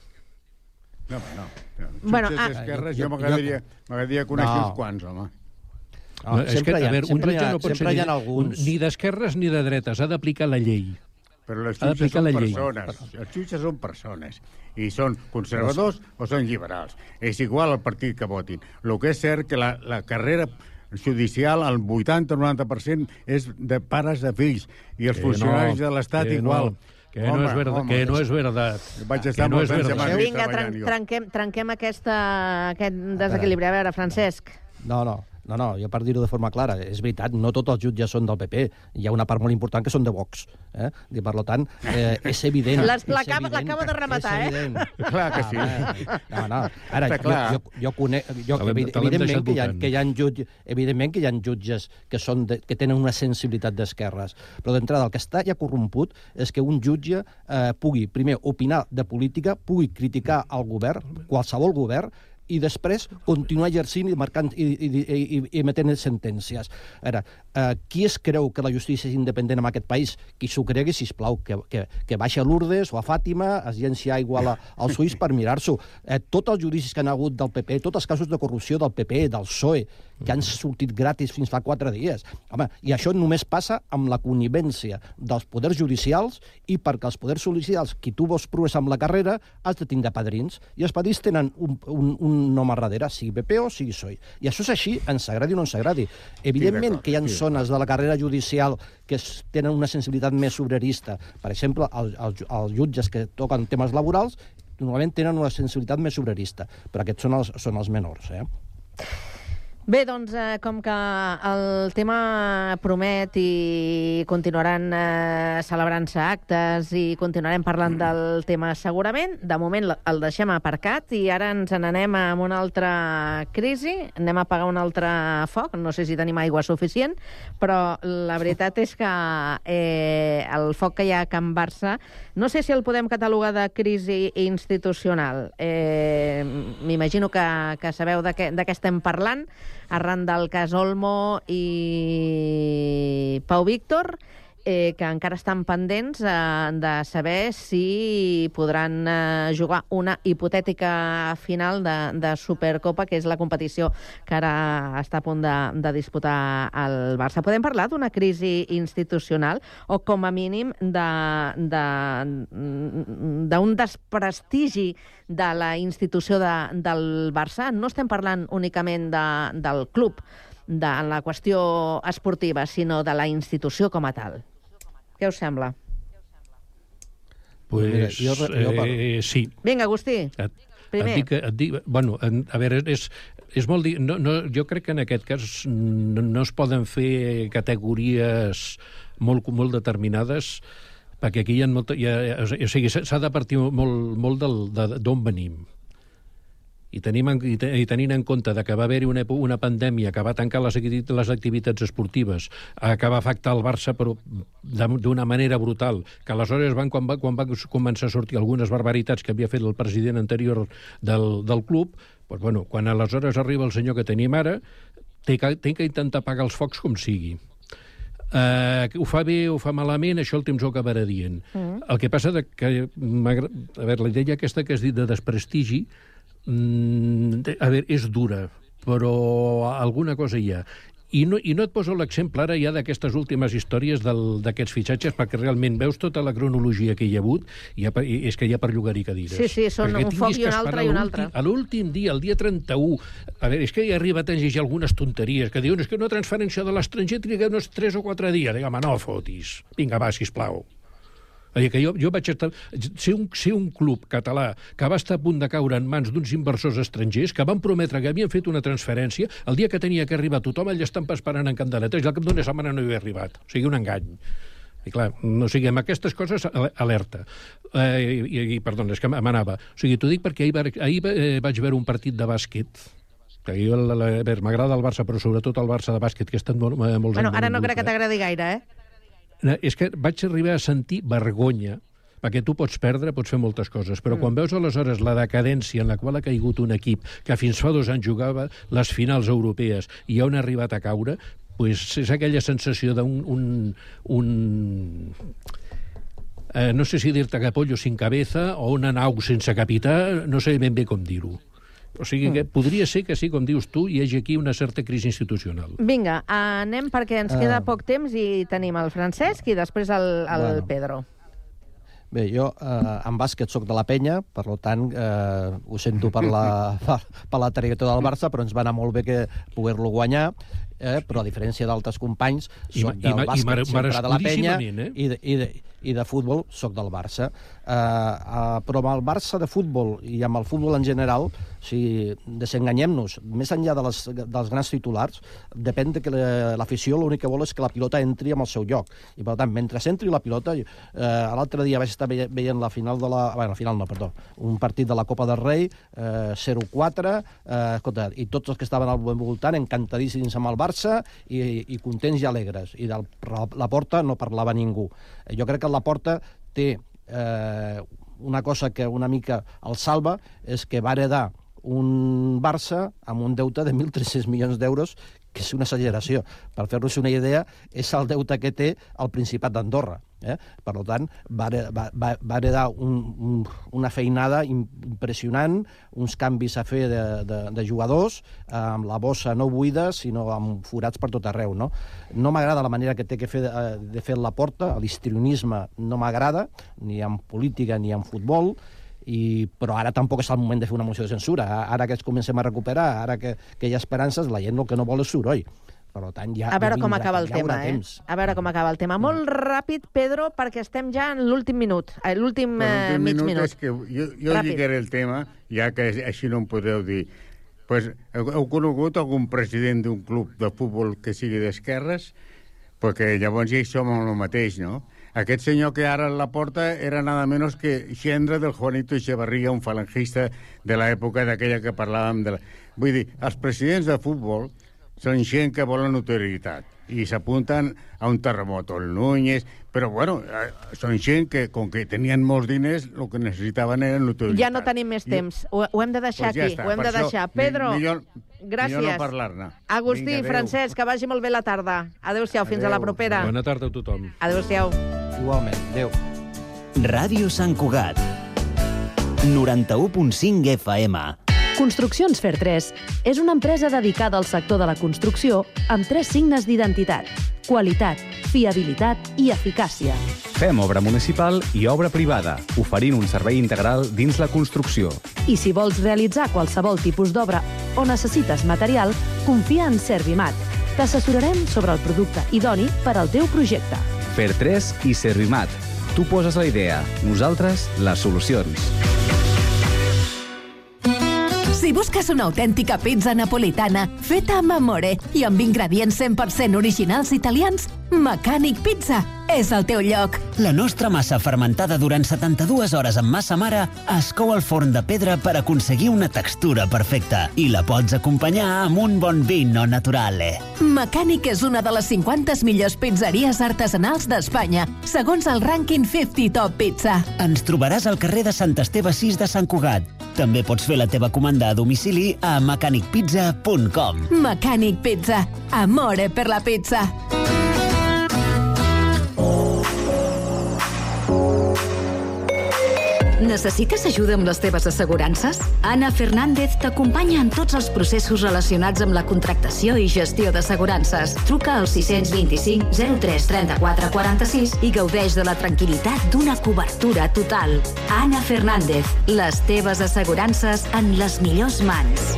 No, home, no. Bueno, Jutges ah, d'esquerres, jo- jo m'agradaria m'agradaria conèixer No. uns quants, home. No, és que, sempre hi a ha- veure, un sempre hi jutge ha- no pot ser sempre hi ha ni- alguns. un- ni d'esquerres ni de dretes, ha d'aplicar la llei. Però les Ha jutges d'aplicar són la llei. persones. Els jutges són persones. I són conservadors o són liberals. És igual el partit que votin. El que és cert que la, la carrera judicial, el vuitanta o noranta per cent és de pares de fills. I els Que funcionaris no, de l'Estat que igual. no, que no és verdad, que no és verdad. Vaig Que estar no molts és anys a verdad. Madrid Vinga, tran treballant jo. trenquem, trenquem aquesta, aquest desequilibri. A veure, Francesc. No, no, no, no, jo per dir-ho de forma clara, és veritat, no tots els jutges són del P P, hi ha una part molt important que són de Vox, eh? I per tant, eh, és evident... Les- és L'acaba evident, l'acaba de rematar, és eh? evident. Clar que sí. No, no, ara, Està jo, clar. jo, jo conec... Jo, Te l'hem- evi- te l'hem evidentment, deixat que hi ha, votant. que hi ha jutges, evidentment que hi ha jutges que, són de, que tenen una sensibilitat d'esquerres, però d'entrada el que està ja corromput és que un jutge eh, pugui, primer, opinar de política, pugui criticar el govern, qualsevol govern, i després continuar exercint i marcant i, i, i, i, i emetent sentències. Ara, eh, qui es creu que la justícia és independent en aquest país? Qui s'ho cregui, sisplau, que, que, que baixa a Lourdes o a Fàtima, es llenci aigua la, als ulls per mirar-s'ho. Eh, tots els judicis que han hagut del P P, tots els casos de corrupció del P P, del P S O E, que han sortit gratis fins fa quatre dies. Home, i això només passa amb la connivència dels poders judicials i perquè els poders judicials, qui tu vols progressar amb la carrera, has de tindre padrins. I els padrins tenen un, un, un nom a darrere, sigui P P o sigui P S O E. I això és així, ens agradi o no ens agradi. Evidentment que hi ha zones de la carrera judicial que es- tenen una sensibilitat més obrerista. Per exemple, els, els, els jutges que toquen temes laborals normalment tenen una sensibilitat més obrerista, però aquests són els, són els menors, eh? Bé, doncs, eh, com que el tema promet i continuaran eh, celebrant-se actes i continuarem parlant del tema segurament, de moment el deixem aparcat i ara ens n'anem a una altra crisi, anem a apagar un altre foc, no sé si tenim aigua suficient, però la veritat és que eh, el foc que hi ha a Can Barça, no sé si el podem catalogar de crisi institucional. Eh, M'imagino que, que sabeu de què, de què estem parlant, arran del cas Olmo i Pau Víctor, eh, que encara estan pendents eh, de saber si podran eh, jugar una hipotètica final de, de Supercopa, que és la competició que ara està a punt de, de disputar el Barça. Podem parlar d'una crisi institucional o, com a mínim, d'un de, de, desprestigi de la institució de, del Barça? No estem parlant únicament de, del club, de, en la qüestió esportiva, sinó de la institució com a tal. Què us sembla? Pues, Mira, jo, jo parlo. eh, sí. Vinga, Agustí, Et, primer. et dic, et dic, bueno, en, a veure, és, és molt... di- No, no, jo crec que en aquest cas no, no es poden fer categories molt, molt determinades, perquè aquí hi ha molta... Hi ha, o sigui, s'ha de partir molt, molt del, de, d'on venim. I, tenim, en- i, te, i tenint en compte de que va haver-hi una, èpo- una pandèmia que va tancar les, acti- les activitats esportives, eh, que va afectar el Barça però de- d'una manera brutal, que aleshores van, quan, va, quan van començar a sortir algunes barbaritats que havia fet el president anterior del, del club, doncs, bueno, quan aleshores arriba el senyor que tenim ara, té que, té que intentar apagar els focs com sigui. Uh, ho fa bé o fa malament, això el temps ho acabarà dient. Mm. El que passa de que m'agra- a veure, la idea aquesta que has dit de desprestigi, mm, a veure, és dura, però alguna cosa hi ha. I no, I no et poso l'exemple ara ja d'aquestes últimes històries del- d'aquests fitxatges, perquè realment veus tota la cronologia que hi ha hagut i, ha, i és que hi ha per llogar-hi cadires. Sí, sí, són Perquè un foc tinguis i que un altre esperar i un l'últim- altre. A l'últim dia, el dia trenta-u, a veure, és que hi arriba a llegir algunes tonteries que diuen és que una transferència de l'estranger triga uns tres o quatre dies. Digue, home, no fotis. Vinga, va, sisplau. És a dir, que jo, jo vaig estar... Ser un, ser un club català que va estar a punt de caure en mans d'uns inversors estrangers que van prometre que havien fet una transferència, el dia que tenia que arribar tothom allà estan esperant en candeletes i al cap d'una setmana no hi havia arribat. O sigui, un engany. I clar, no sigui, amb aquestes coses, alerta. Eh, i, i, perdona, és que m'anava. O sigui, t'ho dic perquè ahir, ahir eh, vaig veure un partit de bàsquet, que jo, la, la, a veure, m'agrada el Barça, però sobretot el Barça de bàsquet, que ha estat molt, molts Bueno, anys... ara no molt crec que t'agradi gaire, eh? No, és que vaig arribar a sentir vergonya, perquè tu pots perdre, pots fer moltes coses, però mm. quan veus aleshores la decadència en la qual ha caigut un equip que fins fa dos anys jugava les finals europees i on ha arribat a caure, pues és aquella sensació d'un... Un, un, eh, no sé si dir-te capollo sin cabeza o una nau sense capità, no sé ben bé com dir-ho. O sigui que podria ser que sí, com dius tu, hi hagi aquí una certa crisi institucional. Vinga, anem perquè ens queda poc temps i tenim el Francesc i després el, el bueno. Pedro. Bé, jo eh, en bàsquet soc de la Penya, per tant, eh, ho sento per la, per, per la trajectòria del Barça, però ens va anar molt bé que poder-lo guanyar, eh, però a diferència d'altres companys, soc del bàsquet sempre de la Penya eh? i, de, i, de, i de futbol soc del Barça. Eh, eh, però amb el Barça de futbol i amb el futbol en general, si desenganyem-nos, més enllà de les, dels grans titulars, depèn de que l'afició l'únic que vol és que la pilota entri en el seu lloc. I, per tant, mentre entri la pilota, eh, l'altre dia vaig estar veient la final de la... Bé, la final no, perdó. Un partit de la Copa del Rei, eh, zero quatre, eh, escolta, i tots els que estaven al voltant encantadíssims amb el Barça i, i contents i alegres. I de la Porta no parlava ningú. Jo crec que la Porta té eh, una cosa que una mica el salva, és que va heredar un Barça amb un deute de mil tres-cents milions d'euros, que és una exageració. Per fer-vos una idea, és el deute que té el Principat d'Andorra. Eh? Per tant, va, va, va heredar un, un, una feinada impressionant, uns canvis a fer de, de, de jugadors, amb la bossa no buida, sinó amb forats per tot arreu. No, no m'agrada la manera que té que fer de, de fer la Porta, l'histrionisme no m'agrada, ni en política ni en futbol, I, però ara tampoc és el moment de fer una moció de censura. Ara que ens comencem a recuperar, ara que, que hi ha esperances, la gent el que no vol és soroll. Per tant, ja a veure no com vindrà, acaba el ja tema, eh? A veure com acaba el tema. Molt ràpid, Pedro, perquè estem ja en l'últim minut, l'últim eh, mig minut. minut. És que jo, jo lligaré el tema, ja que així no em podeu dir. Pues, heu, heu conegut algun president d'un club de futbol que sigui d'esquerres? Perquè llavors ja hi som el mateix, no? Aquest senyor que ara la porta era nada menos que gendre del Juanito Echevarría, un falangista de l'època d'aquella que parlàvem de la... Vull dir, els presidents de futbol són gent que volen notorietat i s'apunten a un terremoto, el Núñez, però bueno, són gent que, com que tenien molts diners, el que necessitaven era notorietat. Ja no tenim més temps, ho, ho hem de deixar pues ja aquí, està. ho hem Per de això, deixar. Pedro, millor, gràcies. Millor no parlar-ne. Agustí, Vinga, Francesc, que vagi molt bé la tarda. Adéu-siau, fins a la propera. Bona tarda a tothom. Adéu-siau. Igualment, adéu. Ràdio Sant Cugat, noranta-u punt cinc F M. Construccions Fer tres és una empresa dedicada al sector de la construcció amb tres signes d'identitat: qualitat, fiabilitat i eficàcia. Fem obra municipal i obra privada, oferint un servei integral dins la construcció. I si vols realitzar qualsevol tipus d'obra o necessites material, confia en Servimat. T'assessorarem sobre el producte idoni per al teu projecte. Fer tres i Servimat. Tu poses la idea, nosaltres les solucions. Si busques una autèntica pizza napolitana feta amb amore i amb ingredients cent per cent originals italians, Mecànic Pizza és el teu lloc. La nostra massa fermentada durant setanta-dues hores amb massa mare es cou al forn de pedra per aconseguir una textura perfecta i la pots acompanyar amb un bon vino naturale. Mecànic és una de les cinquanta millors pizzeries artesanals d'Espanya, segons el rànquing cinquanta Top Pizza. Ens trobaràs al carrer de Sant Esteve sis de Sant Cugat. També pots fer la teva comanda a domicili a mecànic pizza punt com. Mecànic Pizza. Amore per la pizza. Necessites ajuda amb les teves assegurances? Ana Fernández t'acompanya en tots els processos relacionats amb la contractació i gestió d'assegurances. Truca al sis dos cinc zero tres trenta-quatre quaranta-sis i gaudeix de la tranquil·litat d'una cobertura total. Ana Fernández, les teves assegurances en les millors mans.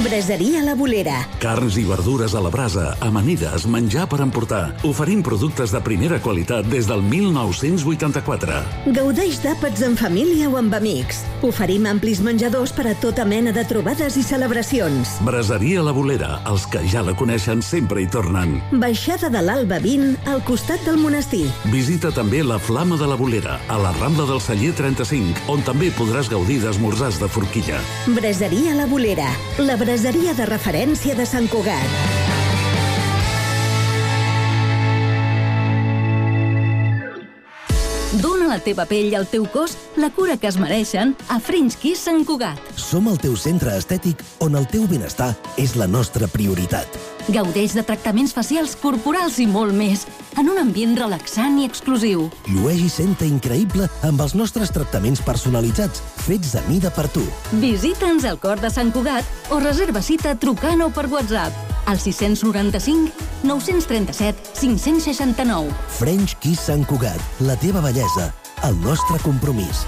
Braseria La Bolera. Carns i verdures a la brasa, amanides, menjar per emportar. Oferim productes de primera qualitat des del mil nou-cents vuitanta-quatre. Gaudeix d'àpats en família o amb amics. Oferim amplis menjadors per a tota mena de trobades i celebracions. Braseria La Bolera, els que ja la coneixen sempre hi tornen. Baixada de l'Alba vint, al costat del monestir. Visita també la Flama de la Bolera, a la Rambla del Celler trenta-cinc, on també podràs gaudir d'esmorzars de forquilla. Braseria La Bolera, la braseria de referència de Sant Cugat. Dóna a la teva pell i al teu cos la cura que es mereixen a French Kiss Sant Cugat. Som el teu centre estètic on el teu benestar és la nostra prioritat. Gaudeix de tractaments facials, corporals i molt més, en un ambient relaxant i exclusiu. Llueix i senta increïble amb els nostres tractaments personalitzats, fets a mida per tu. Visita'ns al Cor de Sant Cugat o reserva cita trucant o per WhatsApp al sis nou cinc, nou tres set, cinc seixanta-nou. French Kiss Sant Cugat, la teva bellesa, el nostre compromís.